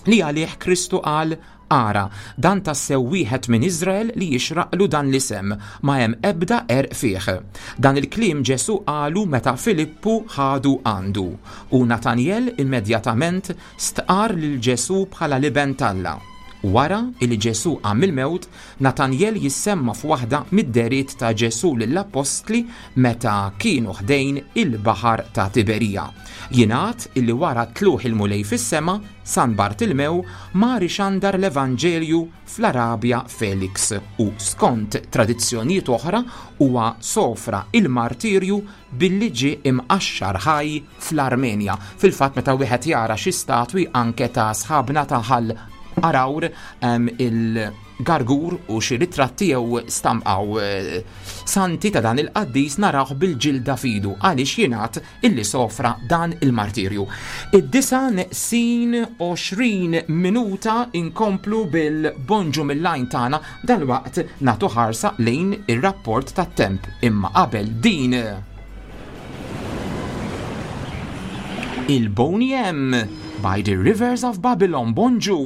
li għalih Kristu qal: "Ara, dan tassew wieħed minn Izrael li jixraqlu dan l-isem, ma hemm ebda qerq fih." Dan il-kliem Ġesu qalu meta Filippu ħadu għandu. U Natanjel immedjatament stqar lil Ġesu bħala l-Iben t'Alla. Wara il Ġesu qam mill-mewt, Natanjel jissemma f'waħda mid-dehriet ta' Ġesu lill-apostli meta kienu ħdejn il-baħar ta' Tiberija. Jingħad illi wara tlugħ il-Mulej fis-sema, San Bartilmew mar ixandar l-Evanġelju fl-Arabja Felix u skont tradizzjonijiet oħra huwa sofra il-martirju billi ġie imqaxxar ħaj fl-Armenja. Fil-fatt meta wieħed jara xi statwi anke ta' sħabna ta' Ħal Għargħur, em, il-gargur u xi ritratti jew stamqaw eh, santi ta' dan il-qaddis, narawh bil-ġilda f'idu għaliex jingħad illi sofra dan il-martirju. Id-disgħa neqsin għoxrin minuta, inkomplu bil-bonġu mill-lajn tagħna, dal-waqt nagħtu ħarsa lejn ir-rapport tat-temp, imma qabel din il-Boney M, By the Rivers of Babylon. Bonġu.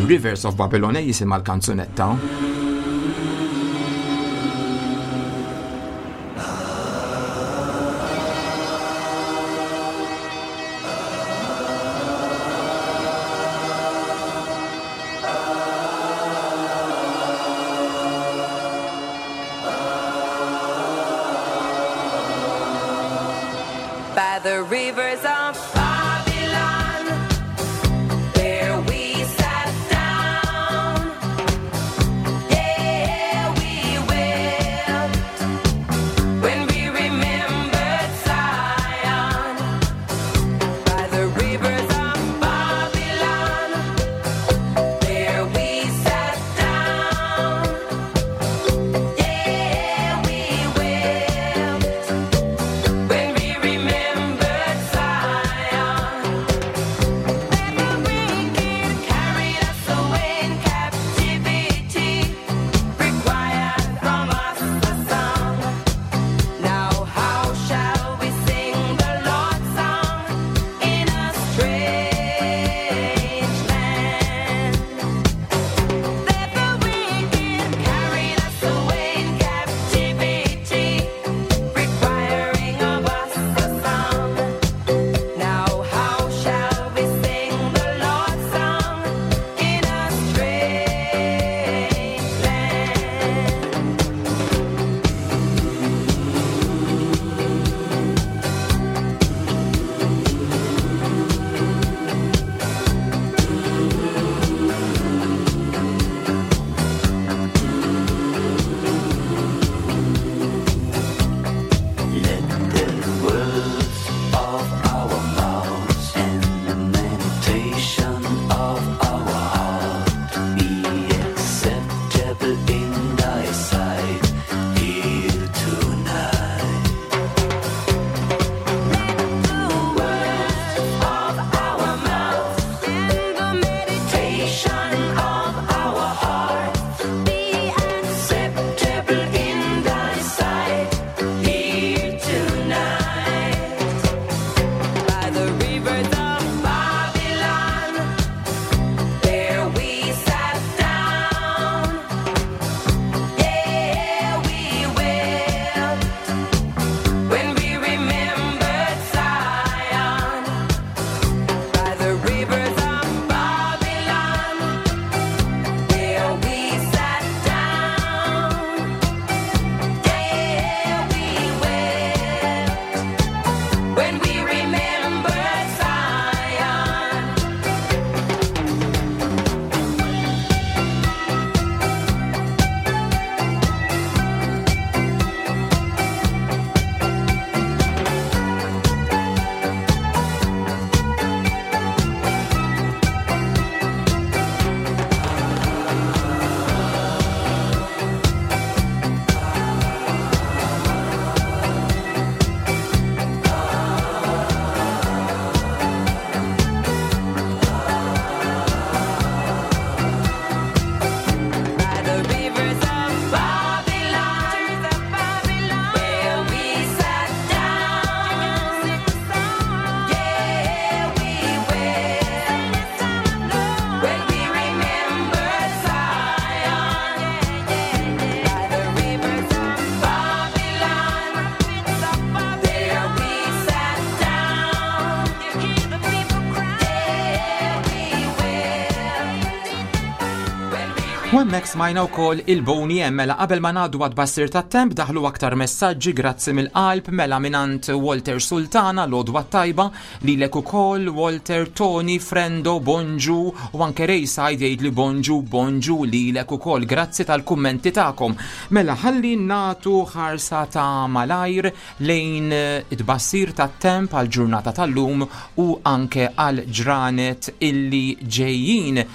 The Rivers of Babylon eh, jisimha l-kanzunetta. By the rivers of Babylon, there we sat down. Yeah, we wept when we remembered Zion. By the rivers of Babylon, there we sat down. Yeah, we wept when we remembered Zion. Then the wicked carried us away in captivity, required from us a song. Now how shall we sing the Lord's song in a strange land? Then the wicked carried us away in captivity, requiring of us a song. Now how shall we sing the Lord's song in a strange land? Let the words of our mouths and the meditation of our heart be acceptable in thy sight here tonight. Of our mouths and the meditation of our heart be acceptable in thy sight here tonight. By the rivers of Babylon, there we sat down. Yeah, we wept when we remembered Zion. By the rivers of Babylon, there we sat down. Yeah, we wept when we remembered Zion. By the rivers of Babylon, where we sat down. Yeah, we wept when we remembered Zion. By the rivers of Babylon, there we sat down. Yeah, we wept. U hemmhekk smajna wkoll il-Boney M mela qabel ma ngħaddu għat-tbassir tat-temp daħlu aktar messaġġi grazzi mill-qalb mela minant Walter Sultana l-għodwa tajba lilek ukoll Walter Tony Frendo Bonġu u anke Rayside jgħid li bonġu bonġu lilek ukoll grazzi tal-kummenti tagħkom. Mela ħalli nagħtu ħarsa ta' malajr lejn it-tbassir tat-temp għal ġurnata tal-lum u anke għal ġranet illi ġejjin.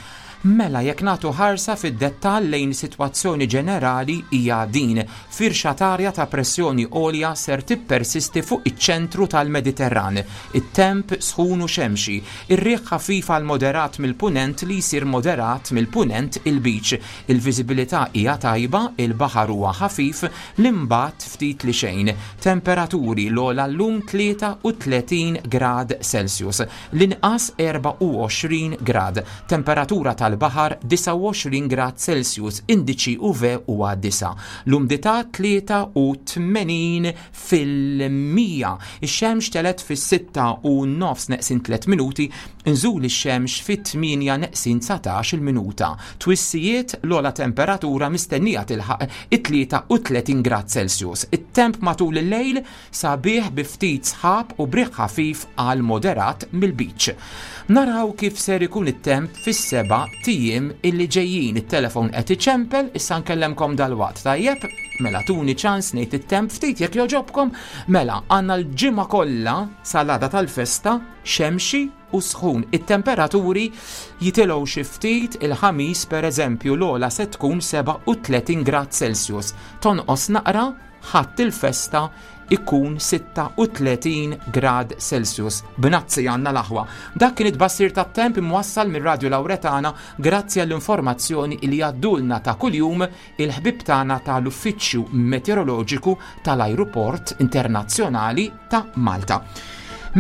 Mela jekk nagħtu ħarsa fid-dettall lejn sitwazzjoni ġenerali hija din. Firxa t'arja ta' pressjoni għolja ser tippersisti fuq iċ-ċentru tal-Mediterran. It-temp sħun u xemxi. Ir-riħ ħafif għal moderat mill-punent li jsir moderat mill-punent il-Lbiċ. Il-viżibilità hija tajba, il-baħar huwa ħafif, l-imbat ftit li xejn. Temperaturi l-ogħla llum tlieta u tletin grad Celsius, l-inqas erbgħa u għoxrin grad. Temperatura tal tal-baħar disgħa u għoxrin grad Celsius, indiċi U V huwa disa'. L-umdità tlieta u tmenin fil-mija. Ix-xemx telet fis-sitta u nofs neqsin tliet minuti, nżul ix-xemx fit-tmienja neqsin dsatax il-minuta. Twissijiet l-ogħla temperatura mistennija tilħaq it-tlieta u tletin grad Celsius. It-temp matul il-lejl sabiħ bi ftit sħab u briħ ħafif għal moderat mill-beach. Naraw kif ser ikun it-temp fis-seba' tijiem illi ġejjin. It-telefon qed iċempel, issa nkellemkom dalwaqt, tajjeb? Mela tuni ċans ngħid it-temp ftit jekk joġobkom. Mela għandna l-ġimgħa kollha sal-għada tal-festa xemxi u sħun. It-temperaturi jitilgħu xi ftit. Il-ħamis pereżempju l-ogħla se tkun seba' u tletin grad Celsius. Tonqos naqra ħadd il-festa ikun sitta u tletin grad Celsius. B'nazzi għandna l-aħwa. Dak kien it-tbassir tat-temp imwassal mir-Radju Lawretana grazzi għall-informazzjoni li għaddulna ta' kuljum il-ħbib tagħna tal-Uffiċċju Meteoroloġiku tal-Ajruport Internazzjonali ta' Malta.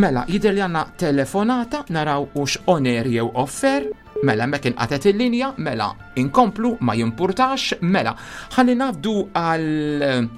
Mela, jidher li għandna telefonata, naraw hux on air jew offer. Mela, hemmhekk inqatet il-linja, mela, inkomplu, ma jimpurtax, mela. Ħalli ngħaddu għal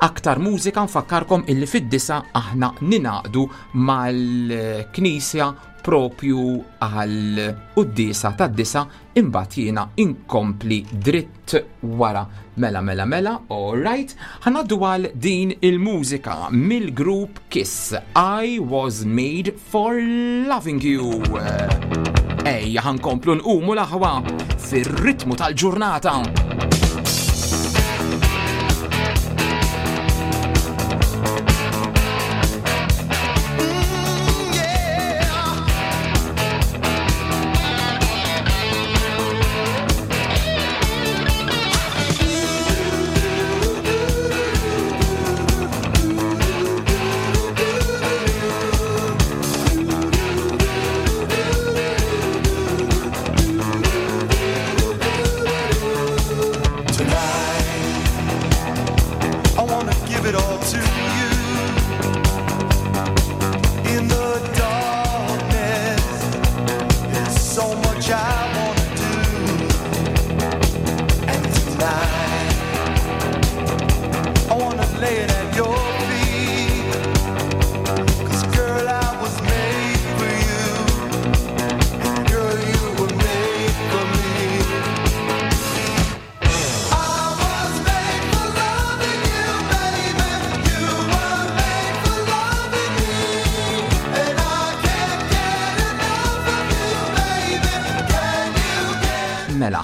aktar mużika, nfakkarkom illi fid-disa aħna ninaqdu mal-knisja propju għal quddiesa tad-disa, imbagħad jiena inkompli dritt wara. Mela, mela, mela, all right. Ħanaddu għal din il-mużika mill-grupp Kiss, I Was Made for Loving You. Ejja, ħankomplu nqumu l-aħwa fir-ritmu tal-ġurnata.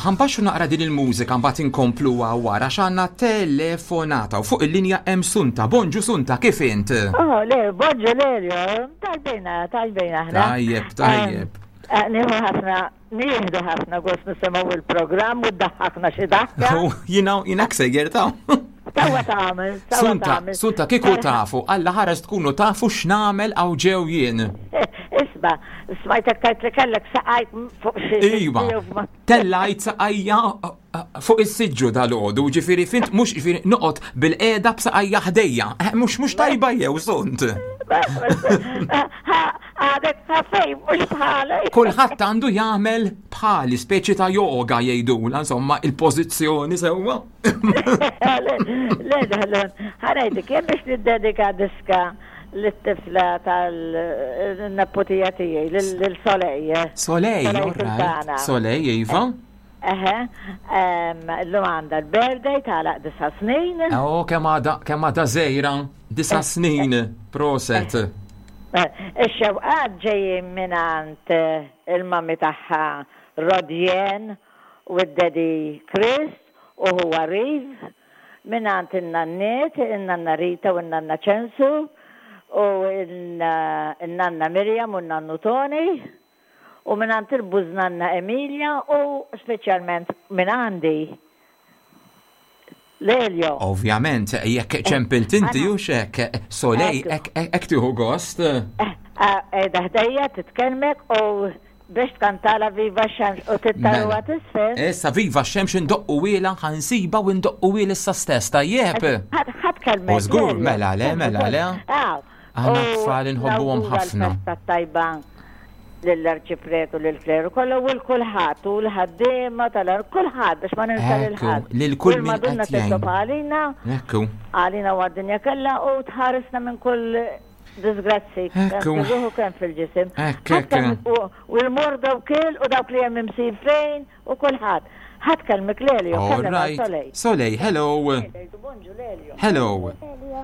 Ħanbaxxu naqra din il-mużika mbagħad inkompluha wara x'għandna telefonata u fuq il-linja hemm Sunta. Bonġu Sunta, kif int? Oh, le, bonġu Lelio, tajbejna, tajbejna aħna. Tajjeb, tajjeb. Eh, nieħu ħafna, nieħdu ħafna gost nisimgħu il-programm u ddaħħakna xi daħka. Oh, jiena, jiena ksejjer ta'. Tawa tagħmel, tawa Sunta, tagħmel. Sunta, kieku tafu, Alla ħares tkunu tafu x'nagħmel hawn ġew jien. Isma, smajtek tajt li kellek saqajk fuq xi Iva, jew ma- tellajt saqajja fuq is-siġġu dal-għodu, ġifieri fint mhux ġifieri noqgħod bil-qiegħda b'saqajja ħdejja. Eh, mhux, mhux tajba jew sunt. Għadek ta' fejn, mhux bħalek. Kulħadd għandu jagħmel bħali, speċi ta' yoga jgħidula, insomma, il-pożizzjoni sewwa. Le, le, le, ħanajdik, jien biex niddedika diska lit-tifla tal-nepputija tiegħi, lil Solej. Solej, Solej all right. Sultana. Solej, iva. Eħe, em, llum għandha l-birthday tagħlaq disa' snin. Oh, kemm għadha, kemm għadha żgħira, disa' snin, proset. Eh, ix-xewqat ġejjin mingħand, eh, il-mami tagħha Rodjen u d-daddy Chris u huwa Riv, mingħand in-nanniet, in-nanna Rita u n-nanna Ċensu, u n-nanna Mirjam u n-nannu Tony, u mingħand il-bużnanna Emilia u speċjalment minn għandi Lelio. Ovvjament, jekk ċempilt inti u xek, Solej, hekk tieħu gost. Qiegħda ħdejja titkellmek u biex tkantala Viva x-Xemx u tittaruha Mela. tisfel. Issa Viva x-Xemx indoqqu wiela, ħansiba u indoqqu wiela issa stess, tajjeb. Ħadd kelmek. U żgur, Lelio. mela le, mela le. Aw. Aħna U tfal inħobbuhom nawgura ħafna. l-festa tajba Lill-arċipretu, lill-kleru kollha u l-kulħadd u l-ħaddiema tal kulħadd biex ma ninsa lil Ekku, ħadd. lil kull min Il-Madonna qed jgħin. titlob għalina, Ekku. għalina u għad-dinja kollha u tħarisna minn kull disgrazzi. Kemm Ekku. fil-ruħ u kemm fil-ġisem. Ekk, Ħadd kemm- ekk. U u l-morda u kiel u dawk li hemm imsifrejn u kulħadd. Ħadd kellmek Lelio, All kellem għal right. Soleil. Soleil, hello. Bonġu Lelio. Hello.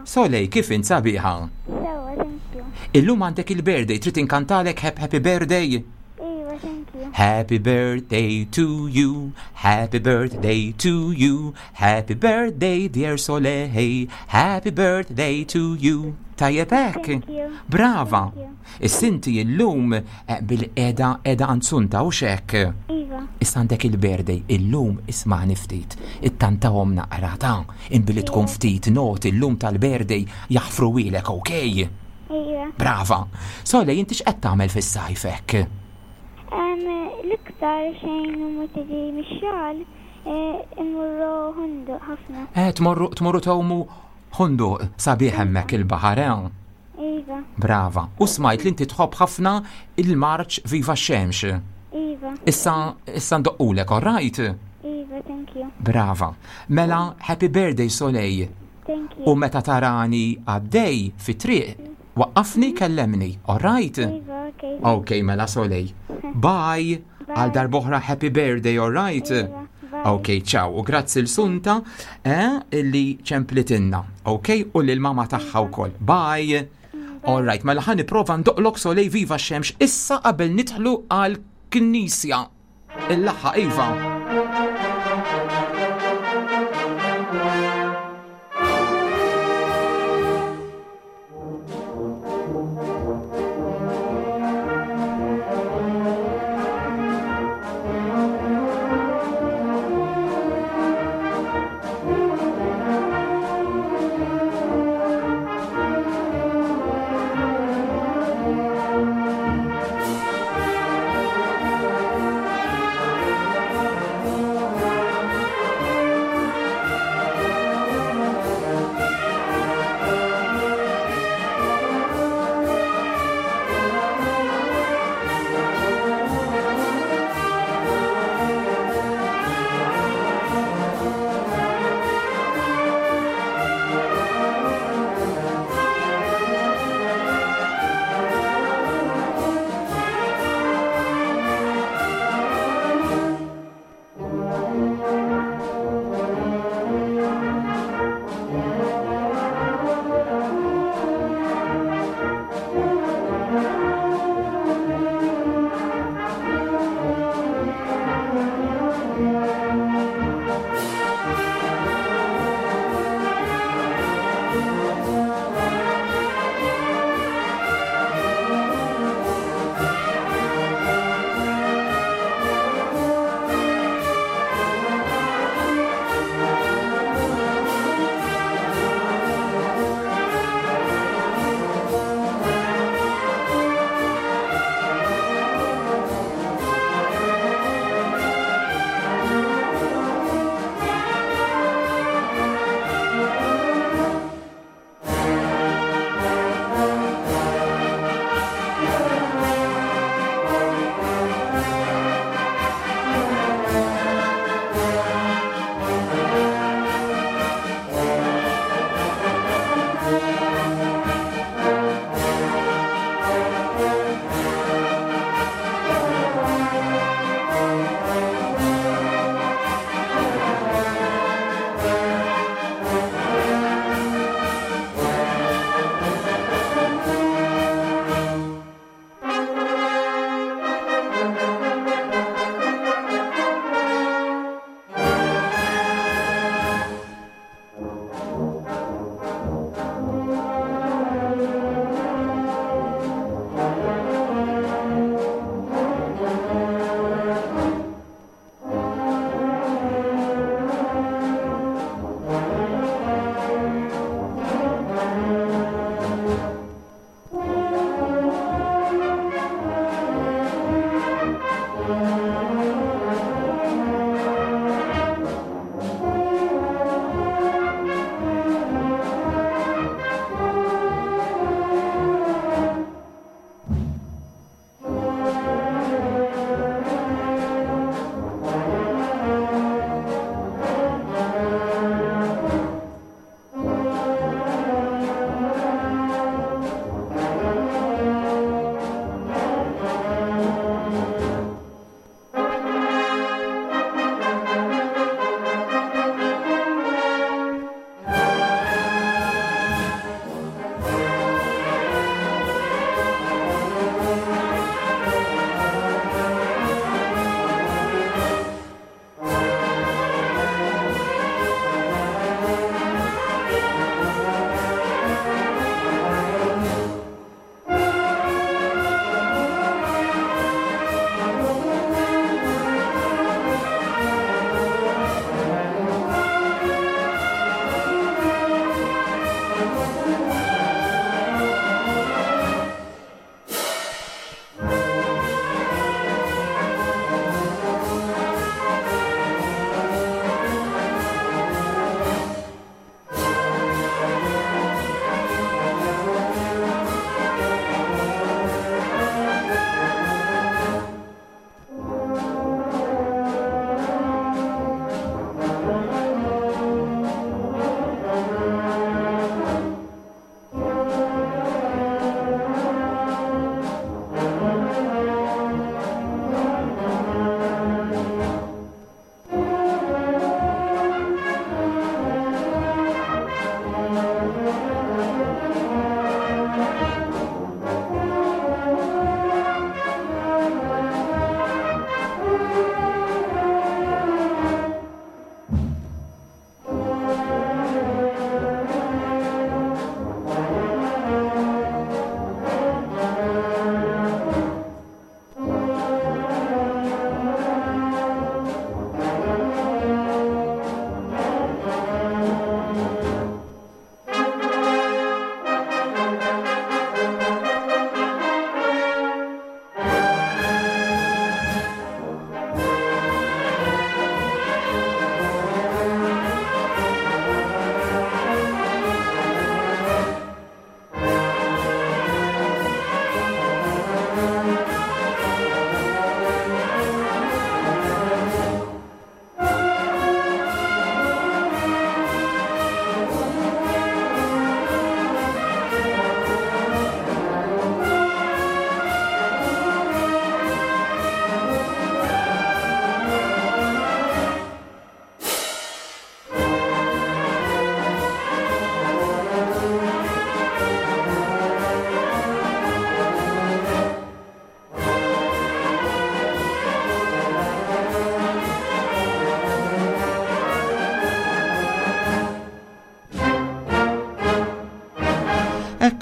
Soleil, kif int sabiħa? Sewa, thank you. Illum għandek il-birthday, trid inkantalek hap- happy birthday? Iva, thank you. Happy birthday to you, happy birthday to you, happy birthday dear Soleil, happy birthday to you. Tajjeb hekk? Thank you. Brava. Thank you. Is-sinti illum eh, bil-qeda qeda anzunta u xek. Iva, Issa għandek il-birthday, illum isma'ni ftit, ittantahom naqra ta' imbili tkun ftit not illum tal-birthday jaħfru wilek, okej? iva. Brava. Soleil, inti x'qed tagħmel fis-sajf hekk? Em, L-iktar xejn u ma tiġi mix-xogħol, eh, immurru Ħondoq ħafna. Eh, tmorru tmorru tgħumu Ħondoq sabiħ hemmhekk il-baħar, eh? Iva, Brava. U smajt li inti tħobb ħafna il-marċ Viva x-Xemx. iva, Issa issa ndoqqulek, all right? iva, thank you. Brava. Mela, happy birthday Soleil. Thank you. U meta tarani għaddej fi triq, waqqafni kellemni, all right? Iva, okay. Ok, mela Soleil. Bye. Għal darb'oħra happy birthday, all right? Iva, bye. Ok, ciao. U grazzi l-Sunta eh, illi ċemplitinna. Ok, u lil-mama tagħha wkoll. Bye. All right, mela ħa nipprova ndoqqlok Soleil Viva x-Xemx issa qabel nidħlu għal knisja. Il-laħħa Iva. Thank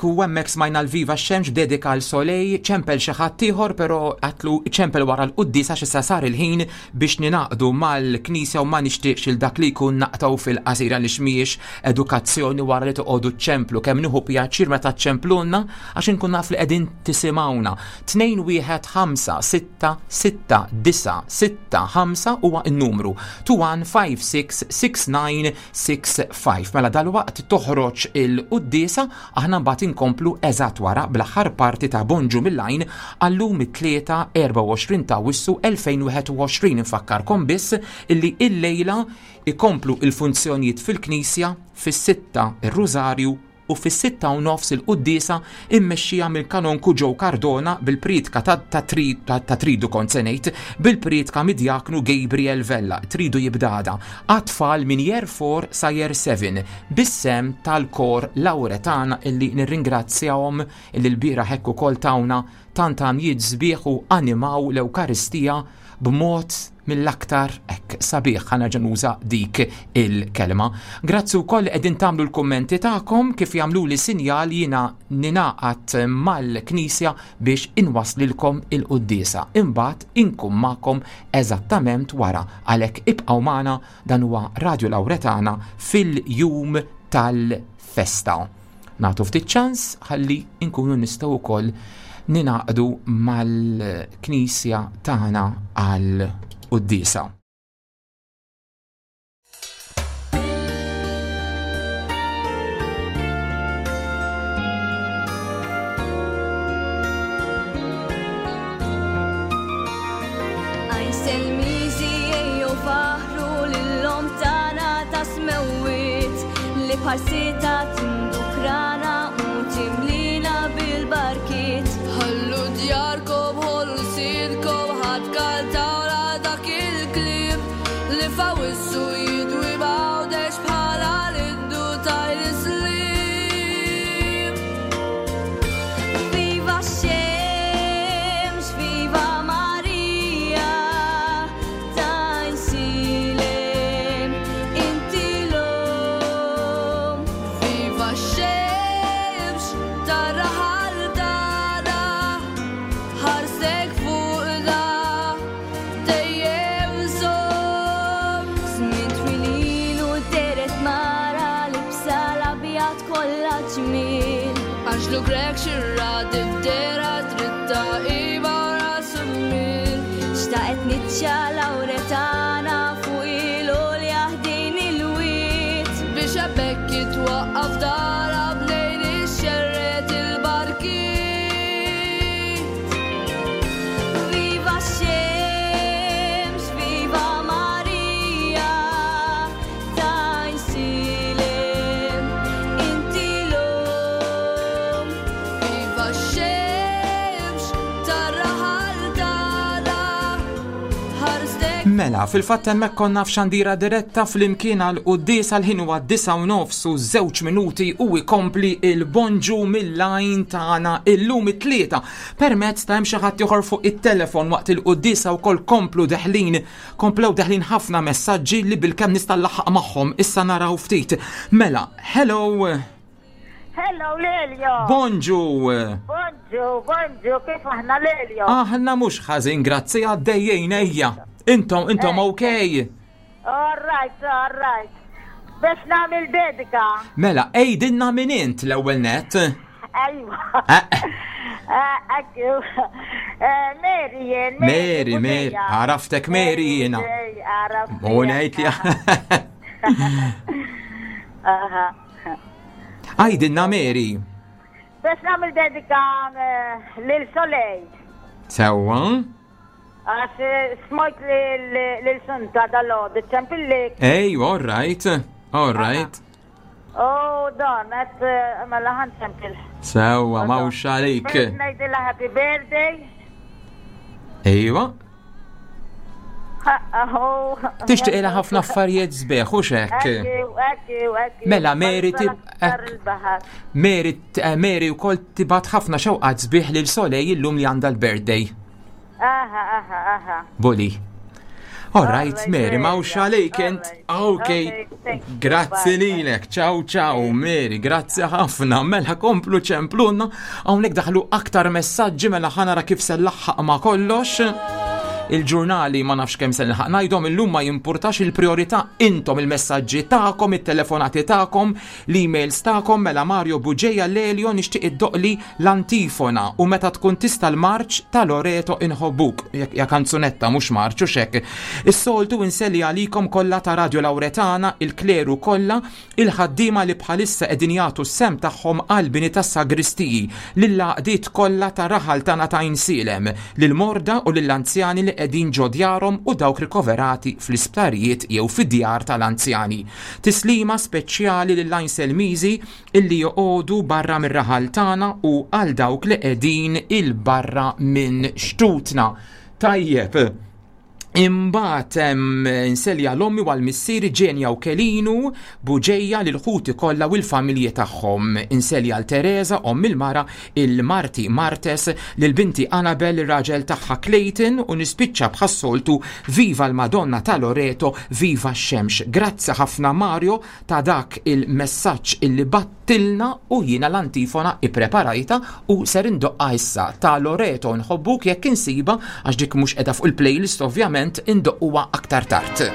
u hemmhekk smajna l-Viva x-Xemx b'dedika għal Soleil, ċempel xi ħadd ieħor però għatlu ċempel wara l-quddiesa x'issa sar il-ħin biex ninaqdu mal-Knisja u ma nixtieqx il dak li jkun naqtaw fil-qasira li mhijiex edukazzjoni wara li toqogħdu ċemplu kemm nieħu pjaċir meta ċemplunna għax inkun naf li qegħdin tisimgħuna. Tnejn wieħed ħamsa sitta sitta disa sitta ħamsa huwa n-numru two one five six six nine six five. Mela dalwaqt toħroġ il-quddiesa, aħna mbagħad inkomplu eżatt wara bl-aħħar parti ta' Bonġu mill-Għajn għallum it-tlieta erbgħa u għoxrin ta' Awwissu elfejn wieħed u għoxrin. Infakkarkom biss illi illejla ikomplu il-funzjonijiet fil-Knisja fis-sitta ir-Rużarju u fis-sitta u nofs il-quddiesa immexxija mill-kanonku Joe Cardona bil-priedka ta', ta', tri-, ta', ta' tridu kont se ngħid, bil-priedka mid-djaknu Gabriel Vella, tridu jibdada, għat-tfal minn year four sa year seven, bis-sem tal-kor Lauretana illi nirringrazzjahom illi l-bieraħ hekk ukoll tawna tant għamjiet sbieħ u animaw l-Ewkaristija b'mod mill-aktar hekk sabiħ, ħa nerġa' nuża dik il-kelma. Grazzi wkoll qegħdin tagħmlu l-kummenti tagħkom kif jagħmlu li sinjal jiena ninaqat mal-Knisja biex inwaslilkom il-quddiesa. Imbagħad inkun magħkom eżattament wara, għalhekk ibqgħu magħna, dan huwa Radio Lauretana fil-jum tal-festa. Nagħtu ftit ċans ħalli nkunu nistgħu wkoll ninaqdu mal-Knisja tagħna għal quddiesa. Bħal-sita tindukrana u timlina bil-barkiet. Ħallu djarkom, ħollu sidkom, ħadd kaltawra dak il-kliem li fawissu jidwi b'għawdex bħala l-indu tajl-islim. Viva x-xemx, viva Marija, tajn-silem, inti l-om. Viva x-xemx, tarraħal tagħna, ħarsek fuqna, dejjem żomm. Żmien twil ilu deret mara libsa l-abjad kollha ġmiel. Anġlu Grek xirra dibdera dritta iba ras il-mil. Xtaqet niċċa Lauretana fuq il-għolja ħdejn il-wied. Biex hemmhekk jitwaqqaf dara bnejn ixxerred il-barkiet. Viva x-xemx, viva Marija, tajn-silem, inti l-om. Viva x-xemx, tarraħal tagħna, ħarstek. Mela, fil-fatt hemmhekk konna f'xandira diretta flimkien għal quddies għal ħin huwa disgħa u nofs u żewġ minuti u jkompli il-bonġu mill-lajn tagħna illum it-tlieta. Permezz ta' hemm xi ħadd ieħor fuq it-telefon waqt il-quddiesa wkoll komplu deħlin, komplew deħlin ħafna messaġġi li bilkemm nista' nlaħħaq magħhom, issa naraw ftit. Mela, hello. Hello Lelio. Bonġu. Bonġu, bonġu, kif aħna Lelio? Aħna mhux ħażin, grazzi, għaddejjin ejja. Intom, intom Eh. okay? All right, all right. Biex nagħmel dedika. Mela, ejdinna min int l-ewwel net. Ejwa. Eh. Eh, ekku. Eh, Mary jien, Mary, Mary, Bugeja. għaraftek Mary jiena. Mary, għaraftek. U ngħid li Aha. Għajdinna Mary. Biex nagħmel dedika, eh, lil Soleil. Sewwa. Għax, eh, smajt lil-, lil Sunta dal-għodu, ċempillik. Ej, all right, all right. Oh, don, għet, eh, mela ħan ċempil. Sewwa, mawx għalik. Biex ngħidilha happy birthday. Ejwa. Ha, oh. Tixtieq ilha ħafna affarijiet sbieħ, u x'hekk? Ekku, ekku, ekku. Mela, Mary tib- Aktar il-baħar. Mary, eh, Mary wkoll tibgħat ħafna xewqat sbieħ lil Soleil illum li għandha l-birthday. Aha, aha, aha. Boli. All right, Mary, m'hawnx għalejk int. Ok, grazzi lilek. Ciao, ciao, Mary, grazzi ħafna. Mela komplu ċemplunna. Hawnhekk daħlu aktar messaġġi mela ħa nara kif se nlaħħaq ma' kollox. Il-ġurnali ma nafx kemm se nilħaq ngħidhom illum ma jimpurtax il-priorità intom il-messaġġi tagħkom, it-telefonati tagħkom, l-emails tagħkom mela Mario Buġeja Lelio nixtieq iddoqli l-antifona u meta tkun tista' l-marċ ta' Loreto inħobbuk. Ja kanzunetta mhux marċ u xek. Is-soltu inselli għalikom kollha ta' Radio Lauretana, il-kleru kollha, il-ħaddiema li bħalissa qegħdin jagħtu s-sehem tagħhom għall-bini tas-sagristiji, lill-għaqdiet kollha ta' raħal tagħna ta' Għajnsielem, lill-morda u lill-anzjani li qegħdin ġo djarhom u dawk rikoverati fl-isptarijiet jew fid-djar tal-anzjani. Tislima speċjali lill-Għajnselmiżi illi joqogħdu barra mir-raħal tagħna u għal dawk li qegħdin il-barra minn xtutna. Tajjeb. Imbagħad hemm inselja l-ommi u għal-missieri Ġenja u Kelinu Buġeja lil ħuti kollha u l-familji tagħhom. Inselja l Teresa omm il-mara il-Marti Martes lil binti Annabel ir-raġel tagħha Clayton u nispiċċa bħas-soltu viva l-Madonna ta' Loreto, viva x-xemx. Grazzi ħafna Mario ta' dak il-messaġġ illi battilna u jiena l-antifona ippreparajta u ser indoqqa issa ta' Loreto nħobbuk jekk insiba għax dik mhux qiegħda fuq il-playlist ovvjament indoqquha aktar tard.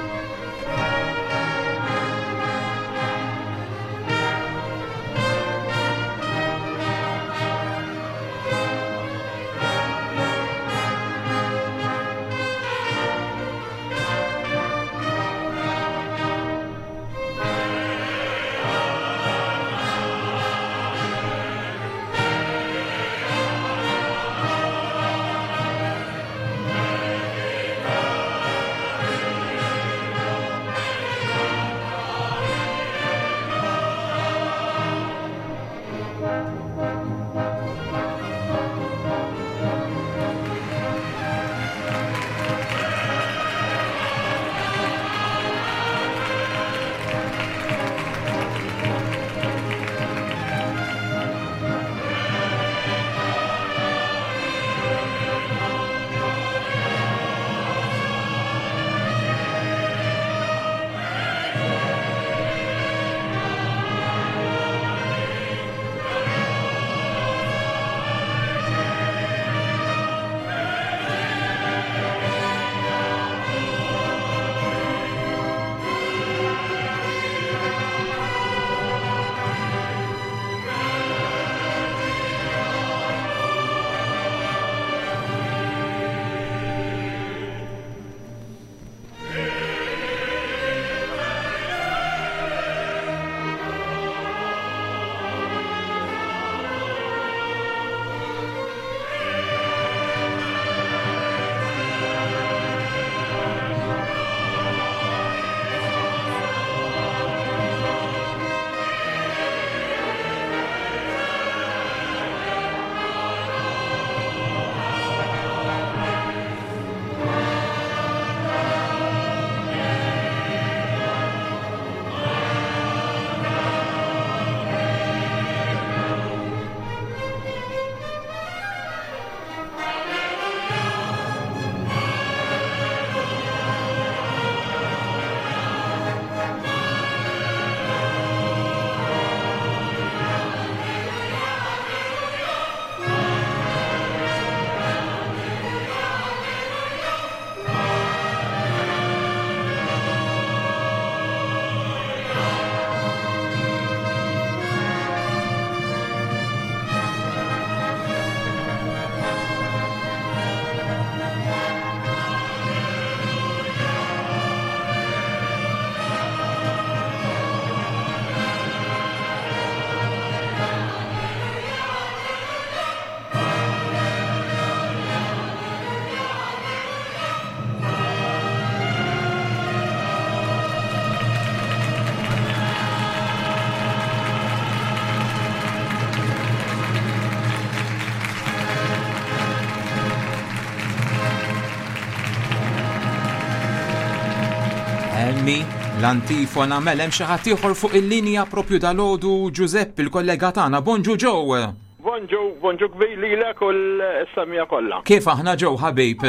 Emmi, l-antifona mela hemm xi ħadd ieħor fuq il-linja propju dalgħodu Giuseppe il-kollega tagħna. Bonġu Joe. Bonġu, bonġu kbir lilek u l-semmiegħa kollha. Kif aħna Joe ħabib?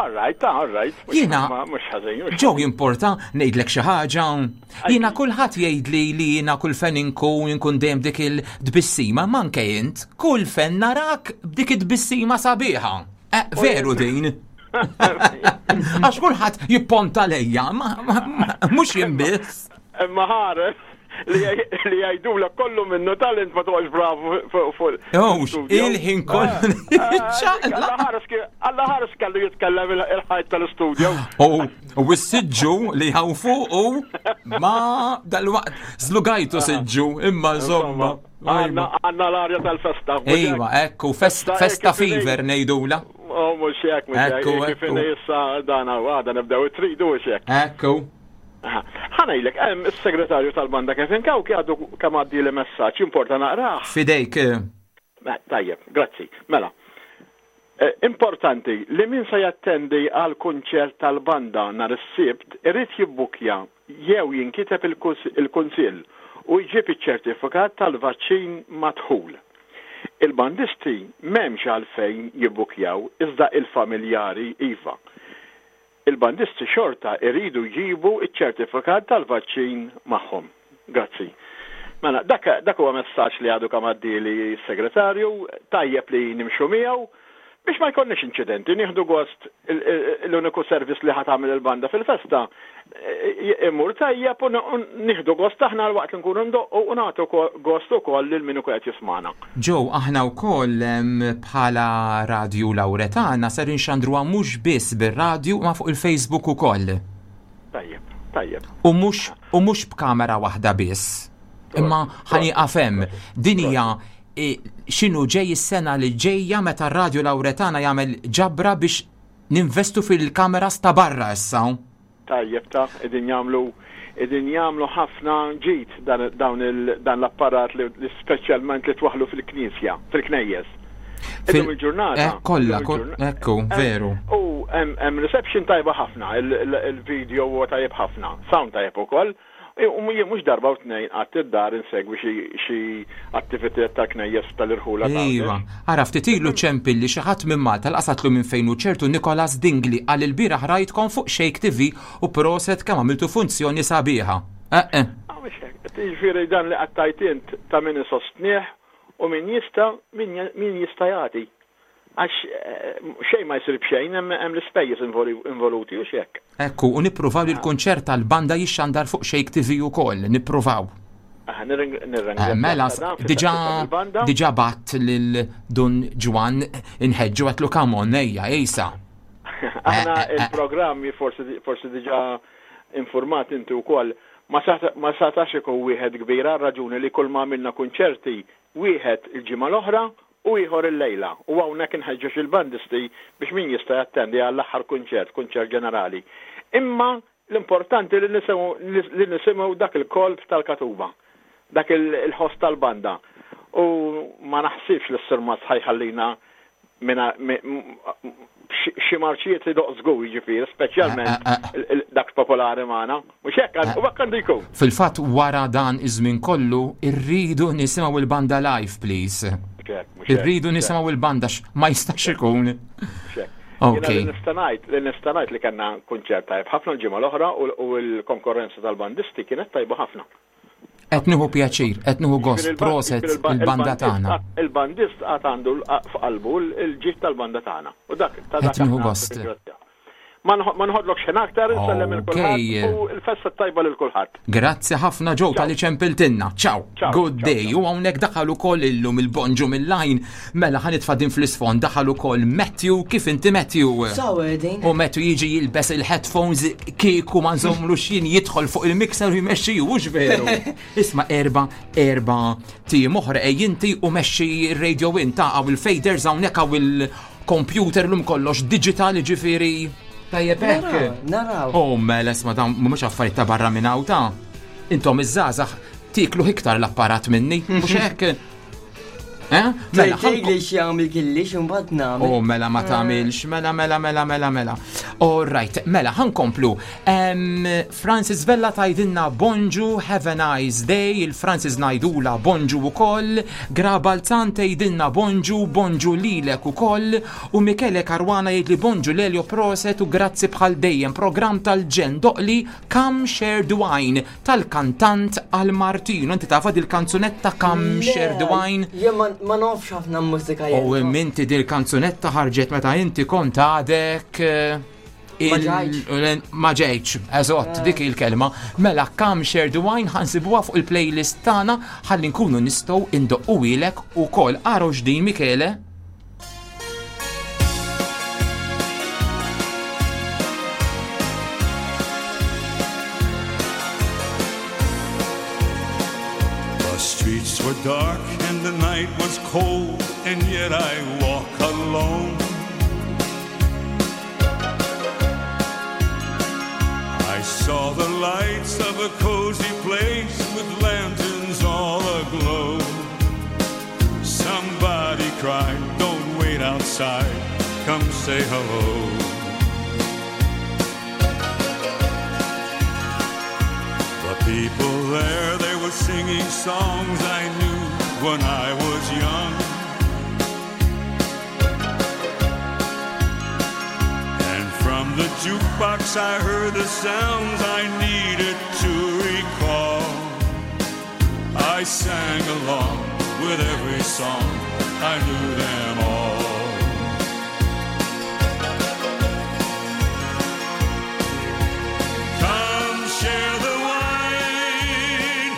All right, all right. Jiena- Mhux ħażin. mhux Ġew jimporta ngħidlek xi ħaġa. Jiena kulħadd jgħidli li jiena kull fejn inkun inkun dejjem dik il-tbissima, manke int, kull fejn narak b'dik it-tbissima sabiħa. Eh, veru din. Għax kulħadd jipponta lejja, ma- ma- ma- mhux jien biss. Imma ħares li li jgħidulek kollu minnu talent ma toqgħodx bravu fuq fuq. Ewx, il-ħin kollu. Alla ħares ki- Alla ħares kellu jitkellem il- il-ħajt tal-studio. U u s-siġġu li hawn fuqu ma dal-waqt zlugajtu siġġu imma insomma. Għanna għanna l-arja tal-festa. Ejwa, ekku, fest- festa fever ngħidula. Oh, mhux hekk, mhux hekk. Ekku, Kif ekku. inhi issa dana u għada nibdew it-tridu mhux hekk. Ekku. Aha. Ħa ngħidlek, hemm is-segretarju tal-banda Kevin Kawki għadu kemm għaddi li messaġġ importa naqrah. Fidejk. eh, Mela, Tajjeb, grazzi. Mela, eh, importanti li min se jattendi għal kunċert tal-banda nhar is-Sibt irid jibbukja jew jinkiteb il-kus- il-kunsill u jġib iċ-ċertifikat tal-vaċċin madħul. Il-bandisti m'hemmx għalfejn jibbukjaw iżda il-familjari iva. Il-bandisti xorta iridu jġibu iċ-ċertifikat tal-vaċċin magħhom. Grazzi. Mela, dak, dak huwa messaġġ li għadu kemm għaddieli s-segretarju, tajjeb li nimxu miegħu biex ma jkollniex inċidenti, nieħdu gost il- il- l-uniku service li ħa tagħmel il-banda fil-festa. eh, Imur tajjeb u n- u nieħdu gost aħna l-waqt li nkunu ndoqqu u nagħtu ko- gost ukoll lil min ikun qed jismana. Joe, aħna wkoll em, bħala Radju Lauretana ser inxandruha mhux biss bir-radju ma fuq il-Facebook ukoll. Tajjeb, tajjeb. U mhux u mhux b'kamera waħda biss. Imma ħa nieqaf hemm, din hija e, x'inhu ġej is-sena li ġejja meta r-Radju Lauretana jagħmel ġabra biex ninvestu fil-kameras ta' barra issa. Tajjeb ta' qegħdin jagħmlu qegħdin jagħmlu ħafna ġid dan, dawn il, dan l-apparat li, li speċjalment li twaħlu fil-knisja, fil-knejjes. Illum il-ġurnata. Eh, kollha, illum kol- il-ġurna- ekku, veru. U hemm hemm reception tajba ħafna, il- il- il-video huwa tajjeb ħafna, sound tajjeb ukoll. U jien mhux darba u tnejn qatt id-dar insegwi xi xi attivitajiet tal-knejjes tal-irħula ta' Iva, ara ftit ilu ċempilli xi ħadd minn Malta l-qasatlu minn fejn hu ċertu Nicholas Dingli għal il-bieraħ rajtkom fuq Shake T V u proset kemm għamiltu funzjoni sabiħa. Eh, eh. Jiġifieri dan li qattajt int ta' min isostnieh u min jista' min min jista' jagħti. Għax eh, xejn ma jsir b'xejn hemm hemm l-ispejjeż involu- involuti u x'hekk. Ekku, u nippruvaw li l-kunċert tal-banda jixxandar fuq Shake T V ukoll, nippruvaw. Aħ, nirring- nirringrazzja Eh, Mela, ta' dan diġa fil-festa tal-banda. diġa bat lil Dun Ġwan inħeġġu għedtlu come on, ejja, ejsa. Aħna Eh, eh, eh. il-programmi forsi forsi diġa informat inti wkoll ma sata- ma satax ikun wieħed kbir għal raġuni li kull ma għamilna kunċerti wieħed il-ġimgħa l-oħra u ieħor il-lejla. U hawnhekk inħeġġeġ il-bandisti biex min jista' jattendi għall-aħħar kunċert, kunċert ġenerali. Imma l-importanti li nisimgħu li nisimgħu dak il-kolp tal-katuba, dak il- il-ħoss tal-banda. U ma naħsibx li s-sirmat ħa jħallina minna mi- m- xi- xi marċijiet li doq żgur jiġifieri, speċjalment il- il- dak popolari magħna. Mhux hekk għand- u hekk għandu jkun. Fil-fatt wara dan iż-żmien kollu irridu nisimgħu il-banda live, please. Mhux hekk, mhux hekk, Irridu mhux hekk. nisimgħu il-banda x- ma jistax ikun. Mhux hekk. Ok. Jiena li nista' ngħid li nista' ngħid li kellna kunċert tajjeb ħafna l-ġimgħa l-oħra u u l-konkurrenza tal-bandisti kienet tajba ħafna. Qed nieħu pjaċir, qed nieħu gost, Jiġifieri il-ba- proset jiġifieri il-ba- il-banda il-bandist tagħna. għad- Il-bandist għad għandu l- f'qalbu l-ġid tal-banda tagħna. U dak ta' dak Qed nieħu aħna gost. nirringrazzjaw. Ma nħo- ma nħodlok xejn aktar, insellem il kulħadd u l-festa tajba lil kulħadd. Grazzi ħafna Joe talli ċempiltilna. Ciao. Ciao, Good day. U hawnhekk daħal ukoll illum il-bonġu mill-line. Mela ħa nitfa' din fl-isfond daħal ukoll Matthew. Kif inti, Matthew? Sawa din. U Matthew jiġi jilbes il-headphones kieku ma nżomlu xin jidħol fuq il-mixer u jmexxi, hux veru? Isma' erba erba tim oħra ej inti u mexxi il-radio in ta' għaw il-faders hawnhekk hawn il-computer lum kollox digital ġifieri. Tajjeb hekk. Naraw, naraw. Oh, mela, isma' dawn mhumiex affarijiet ta' barra minn hawn ta' intom iż-żgħażagħ tiklu iktar l-apparat minni, mhux hekk? Eh? Mela, Tgħid li x'jagħmel killix imbagħad nagħmel. Oh, mela ma tagħmilx, mela, mela, mela, mela, mela. All right, mela, ħa nkomplu. Um, Francis Vella tgħidilna bonġu, have a nice day, il-Francis ngħidulha bonġu ukoll, Gra Balzan tgħidilna bonġu, bonġu lilek ukoll, u Michele Caruana jgħid li bonġu Lelio, proset u grazzi bħal dejjem, program tal-ġenn, doqqli Come Share the Wine tal-kantant Al Martino. Inti tafha dil-kanzunetta Come Share the Wine? Jien ma ma nafx ħafna mużika U jien. minti dil-kanzunetta ħarġet meta inti kont għadek eh, Ma il- ġejtx. Ma ġejtx, eżatt, Eh. dik il-kelma. Mela Come Share the Wine ħa nsibuha fuq il-playlist tagħna ħalli nkunu nistgħu indoqquhielek ukoll. Araw x'din, Michele. The streets were dark and the night was cold, and yet I walk alone. I saw the lights of a cozy place with lanterns all aglow. Somebody cried, "Don't wait outside, come say hello." The people there, they were singing songs I knew when I was young. And from the jukebox I heard the sounds I needed to recall. I sang along with every song, I knew them all. Come share the wine.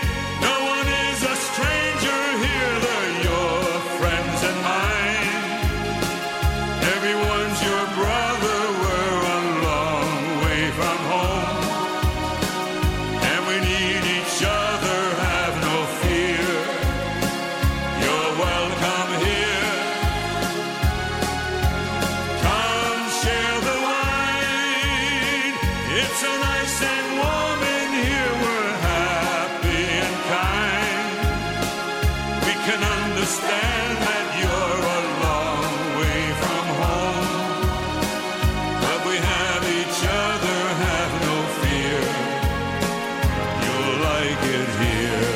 No one is a stranger here. They're your friends and mine. Everyone's your brother. We're a long way from home. And we need each other. Have no fear. You're welcome here. Come share the wine. It's so nice and warm in here. We're happy and kind. We can understand that you're a long way from home. But we have each other, have no fear. You'll like it here.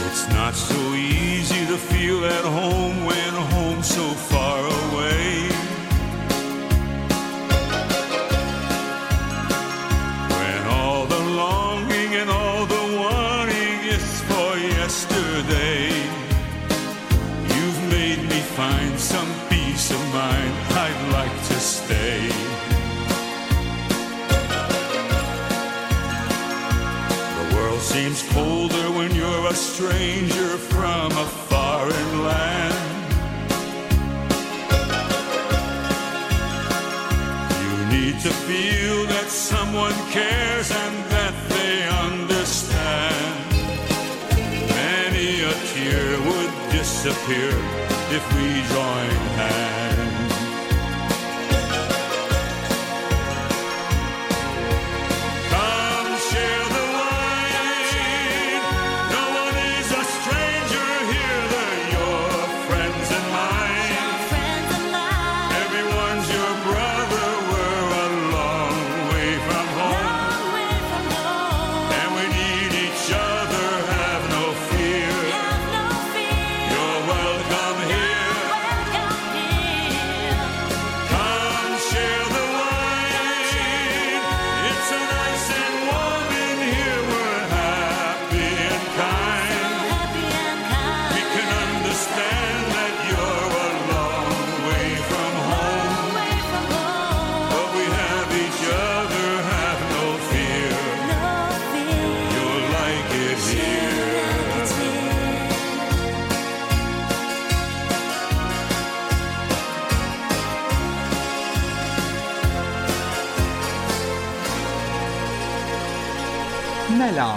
It's not so easy to feel at home when home's so far away. When all the longing and all the wanting is for yesterday. You've made me find some peace of mind. I'd like to stay. The world seems colder when you're a stranger from a foreign land. You need to feel that someone cares and that they understand. Many a tear would disappear if we join hands. Come share the wine. No one is a stranger here. They're your friends and mine. Everyone's your brother. We're a long way from home. And we need each other. Have no fear. You're welcome here. Come share the wine. It's so nice and warm in here. We're happy and kind. We can understand that you're a long way from home. But we have each other, have no fear. You'll like it here. Mela,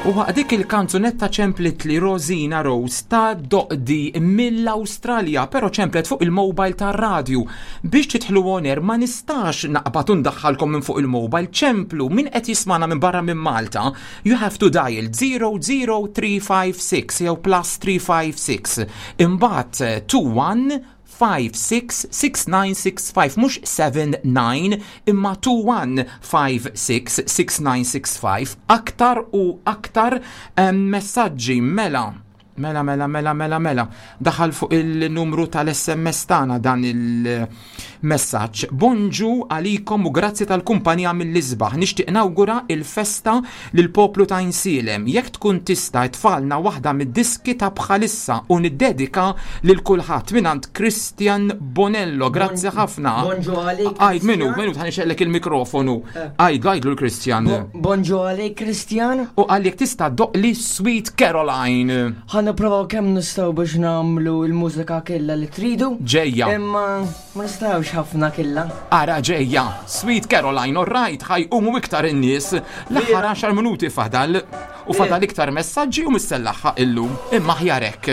U waqt dik il-kanzunetta ċemplet li Rosina Rose ta' Doqdi mill-Awstralja, pero ċemplet fuq il-mobile tar-radju. Biex tidħlu on air ma nistax naqbad u ndaħħalkom minn fuq il-mobile, ċemplu min qed jismana minn barra minn Malta, you have to dial zero zero three five six jew plus three five six. Imbagħad two one five six six nine six five, mhux seven nine imma two one five six six nine six five. Aktar u aktar em, messaġġi, mela mela mela mela mela mela daħal fuq il-numru tal-S M S tagħna dan il-messaġġ. Bonġu għalikom u grazzi tal-kumpanija mill-isbaħ. Nixtieq nawgura il-festa lil poplu ta' Għajnsielem. Jekk tkun tista' tfalna waħda mid-diski ta' bħalissa u niddedika lil kulħadd, mingħand Christian Bonello. Grazzi ħafna. Bonġu għalik. Għajd minu, minu ħa nixgħellek il-mikrofonu. Għajd, għajdlu l-Christian. Bonġu għalik, Christian. U għalik tista' ddoqqli Sweet Caroline. Ħa nipprovaw kemm nistgħu biex nagħmlu l-mużika kella li tridu. Ġejja. Imma ma nistgħux ħafna killa. Ara ġejja, Sweet Caroline, all right, ħa jqumu iktar in-nies. L-aħħar għaxar minuti fadal u fadal iktar messaġġi u mistellaħħa illum. Imma ħjarek.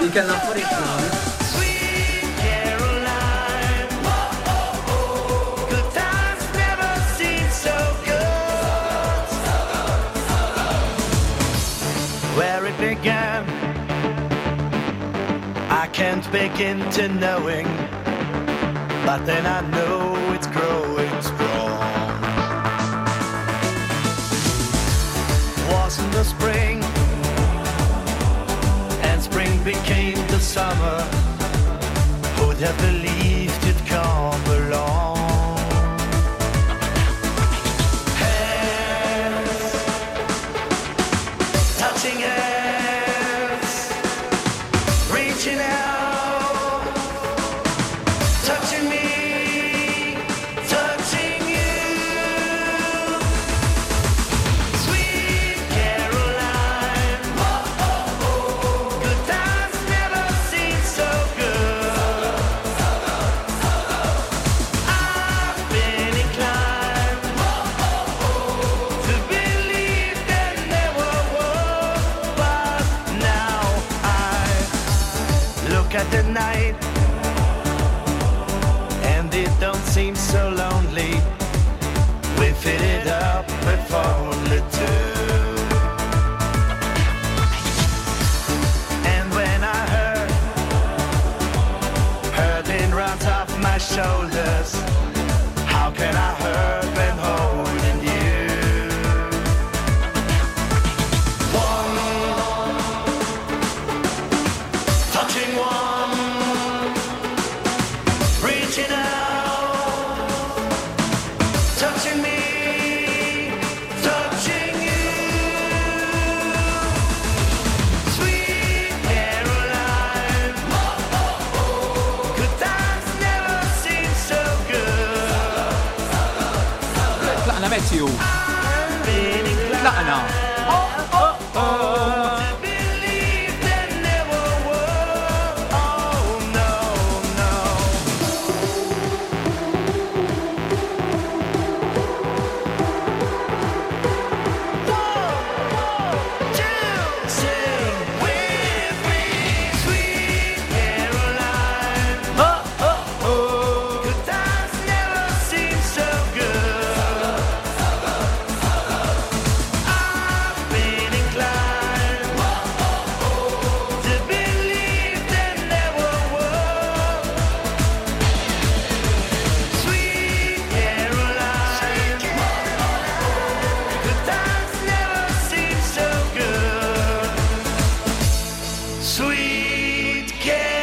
Ikellna affarijiet nagħmlu. Caroline, good times never seem so good. Where it began, I can't begin to knowing, but then I know it's growing strong. Wasn't the spring, and spring became the summer. Who'd have believed it'd come along? Hands, touching hands, reaching out, touching me, touching you. Sweet Caroline, good times never seem so good. I've been inclined to believe that never was, but now I look at the night and it don't seem so lonely. We fill it up with only two. And when I hurt, hurting runs off my shoulders. How can I hurt when holding you? One, touching one, reaching out, touching me, touching you. Sweet Caroline, good times never seem so good. Tlaqna, Matthew. Tlaqna. To believe that never was. Oh no, no. One, two, sing with me, Sweet Caroline. Oh, oh, oh. Good times never seem so good. I've been inclined to believe that never was. Sweet Caroline, good times never seem so good. Sweet Caroline.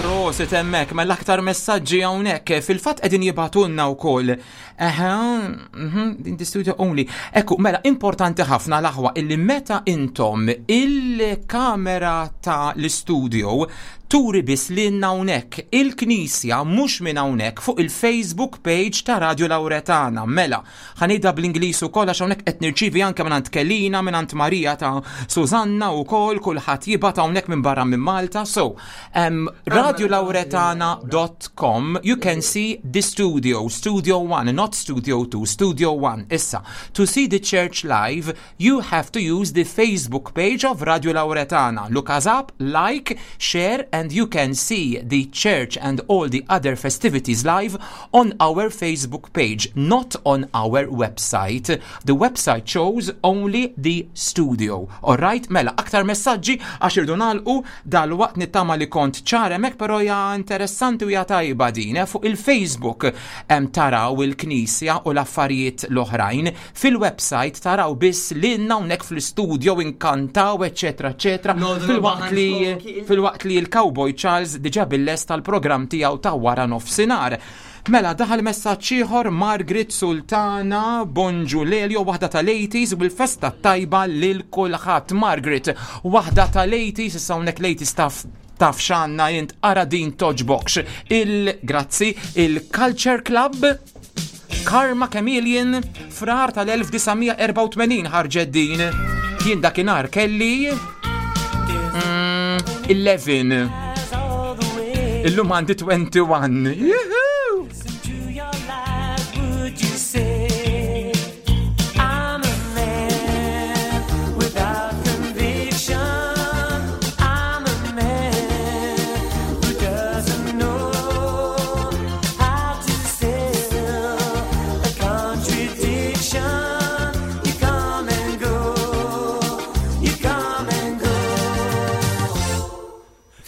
Prosit hemmhekk, ma l-aktar messaġġi hawnhekk fil-fatt qegħdin jibagħtulna wkoll. Eħe, mhm, in the studio only. Ekku, mela importanti ħafna l-aħwa illi meta intom il-kamera ta' l-studio Turi biss lilna hawnhekk il-Knisja, mhux minn hawnhekk, fuq il-Facebook page ta' Radio Lauretana. Mela, ħa ngħidha bl-Ingliż ukoll għax hawnhekk qed nirċievi anke minn Kelina, minn Marija ta' Susanna wkoll, kulħadd jibgħat hawnhekk minn barra minn Malta. So, um, radiolauretana dot com, you can see the studio, Studio one, not Studio two, Studio one. Issa, to see the church live, you have to use the Facebook page of Radio Lauretana. Look us up, like, share, and you can see the church and all the other festivities live on our Facebook page, not on our website. The website shows only the studio. Alright, mela, aktar messaġġi għax irridu nagħlqu dal-waqt. Nittama li kont ċar hemmhekk, però hija interessanti u hija tajba din, eh, fuq il-Facebook hemm taraw il-knisja u l-affarijiet l-oħrajn. Fil-website taraw biss lilna hawnhekk fl-studio inkantaw, eċetera, eċetera. Filwaqt li filwaqt li l-Cowboy Charles diġà bil-lest tal-programm tiegħu ta' wara nofsinhar. Mela, daħal messaġġ ieħor, Margaret Sultana: "Bonġu Lelio, waħda tal-eighties u bil-festa tajba lil kulħadd." Margaret, waħda tal-eighties, issa hawnhekk l-eighties taf taf x'għandna int, ara din toġbokx. Il-grazzi, il-Culture Club, Karma Chameleon, Frar tal-elf disa' mija erbgħa u tmenin ħarġet din. Jien dakinhar kelli mm, għaxra. Illum għandi wieħed u għoxrin. Juhu! Would you say I'm a man without conviction? I'm a man who doesn't know how to sell a contradiction. You come and go, you come and go.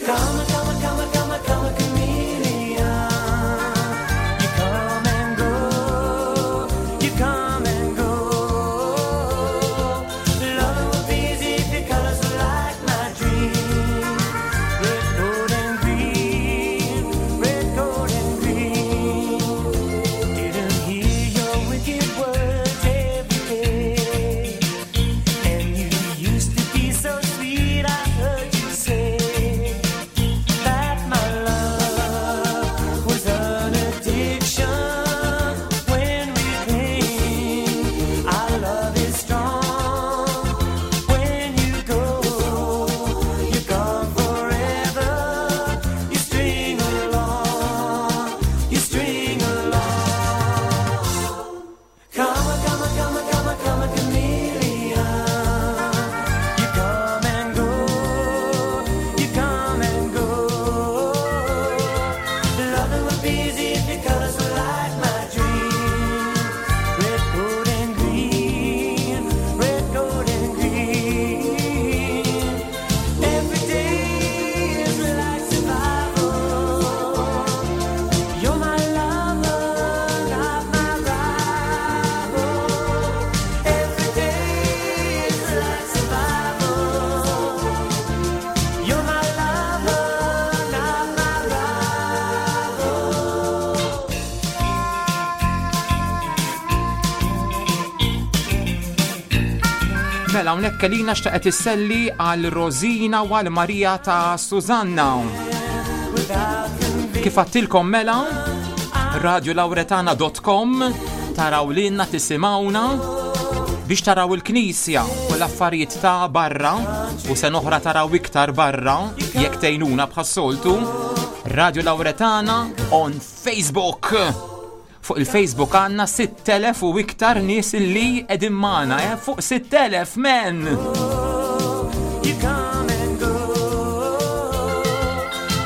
Come, come, come, come, come, chameleon. You come and go, you come and go. Love would be easy if your colors were like my dream. Red, gold, and green, red, gold, and green. Didn't hear your wicked words every day. And you used to be so sweet, I heard you say that my love was an addiction. When we cling, our love is strong. When you go, you're gone forever. You string along, you string along. Come, come, come, come, come, chameleon. You come and go, you come and go. Loving would be easy if your colors were like my dream. Red, gold, and green, red, gold, and green. Every day is like survival. You're my lover, not my rival. Every day is like survival. You're my lover, not my rival. Mela, hawnhekk Kelina xtaqet isselli għal Rosina u għal Marija ta' Susanna. Kif għedtilkom mela, radiolauretana dot com taraw lilna, tisimgħuna, biex taraw il-knisja u l-affarijiet ta' barra u se noħra taraw iktar barra jekk tgħinuna bħas-soltu. Radio Lauretana on Facebook. Fuq il-Facebook għandna sitt elef u iktar nies illi qegħdin magħna, eh? Fuq sitt elef, men! You come and go.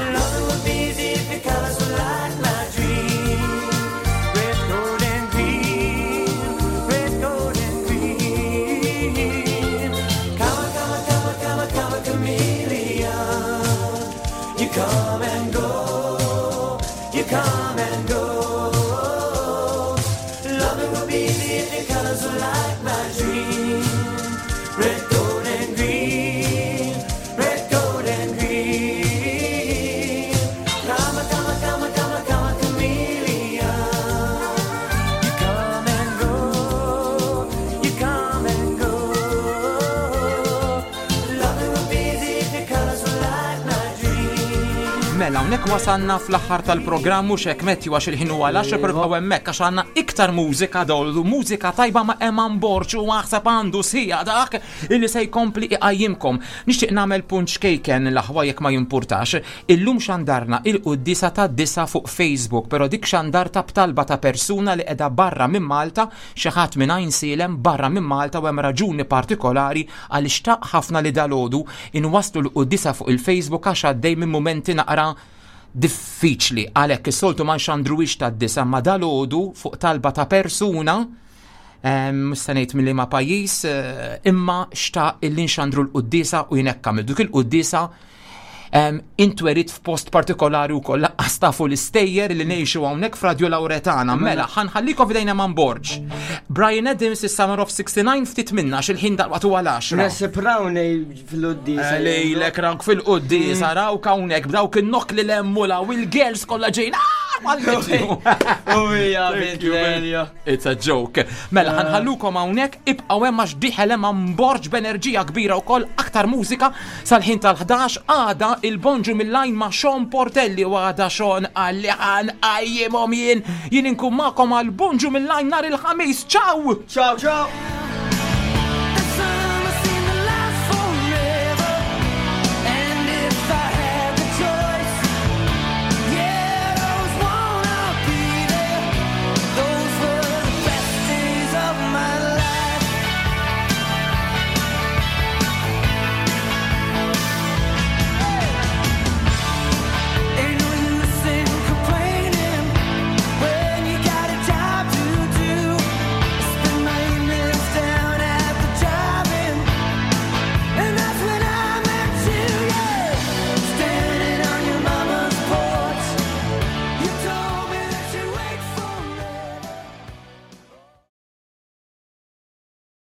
Loving would be easy if your colors were like my dream. Red, gold, and green. Red, gold, and green. Come, come, come, come, come, chameleon. You come and go. You come and go. Loving would be easy if your colors were like my dream. Red, gold, and green. Mela, hawnhekk wasalna fl-aħħar tal-programm, mhux hekk, Matthew, għax il-ħin huwa l-għaxra, però bqgħu hemmhekk għax għandna iktar mużika dollu, mużika tajba ma' Eman Borg u aħseb għandu sija dak illi se jkompli iqajjimkom. Nixtieq nagħmel punt xkejken, l-aħwa, jekk ma jimpurtax. Illum xandarna il-quddisa ta' disa fuq Facebook, però dik xandarta b'talba ta' persuna li qiegħda barra minn Malta, xi ħadd minn Għajnsielem barra minn Malta, u hemm raġuni partikolari għaliex xtaq ħafna li dalgħodu inwaslu l-quddisa fuq il-Facebook għax għaddej minn mumenti naqra diffiċli. Għalhekk is-soltu ma nxandruwix tad-disa, ma dalgħodu fuq talba ta' persuna, mhux se ngħid minn liema pajjiż, eh, imma xtaq illi nxandru l-quddisa u jien hekk għamilt. Dik il-quddisa intwerit f'post partikolari u koll laqqas tafu l-istejjer li ngħixu hawnhekk f'Radio Lauretana. Mela, ħa nħallikom f'idejn Eman Borg. Bryan Adams, is-Summer of sixty-nine, ftit minna x'il-ħin dalwaqt huwa l-għaxra. Nasib rawni fil-quddisa. Lejlek rawk fil-quddisa, rawk hawnhekk b'dawk in-nok li lemmula u l-girls kollha ġejn. U hija bint Lelio. It's a joke. Mela, ħa nħallukom hawnhekk, ibqgħu hemm għax dieħel Eman Borg b'enerġija kbira wkoll, aktar mużika sal-ħin tal-ħdax. Għada il-Bonġu mill-Għajn ma' Sean Portelli u għada Sean għalli ħa nqajjimhom jien, jien inkun magħkom għal Bonġu mill-Għajn nhar il-Ħamis. Ciao! Ciao, ciao!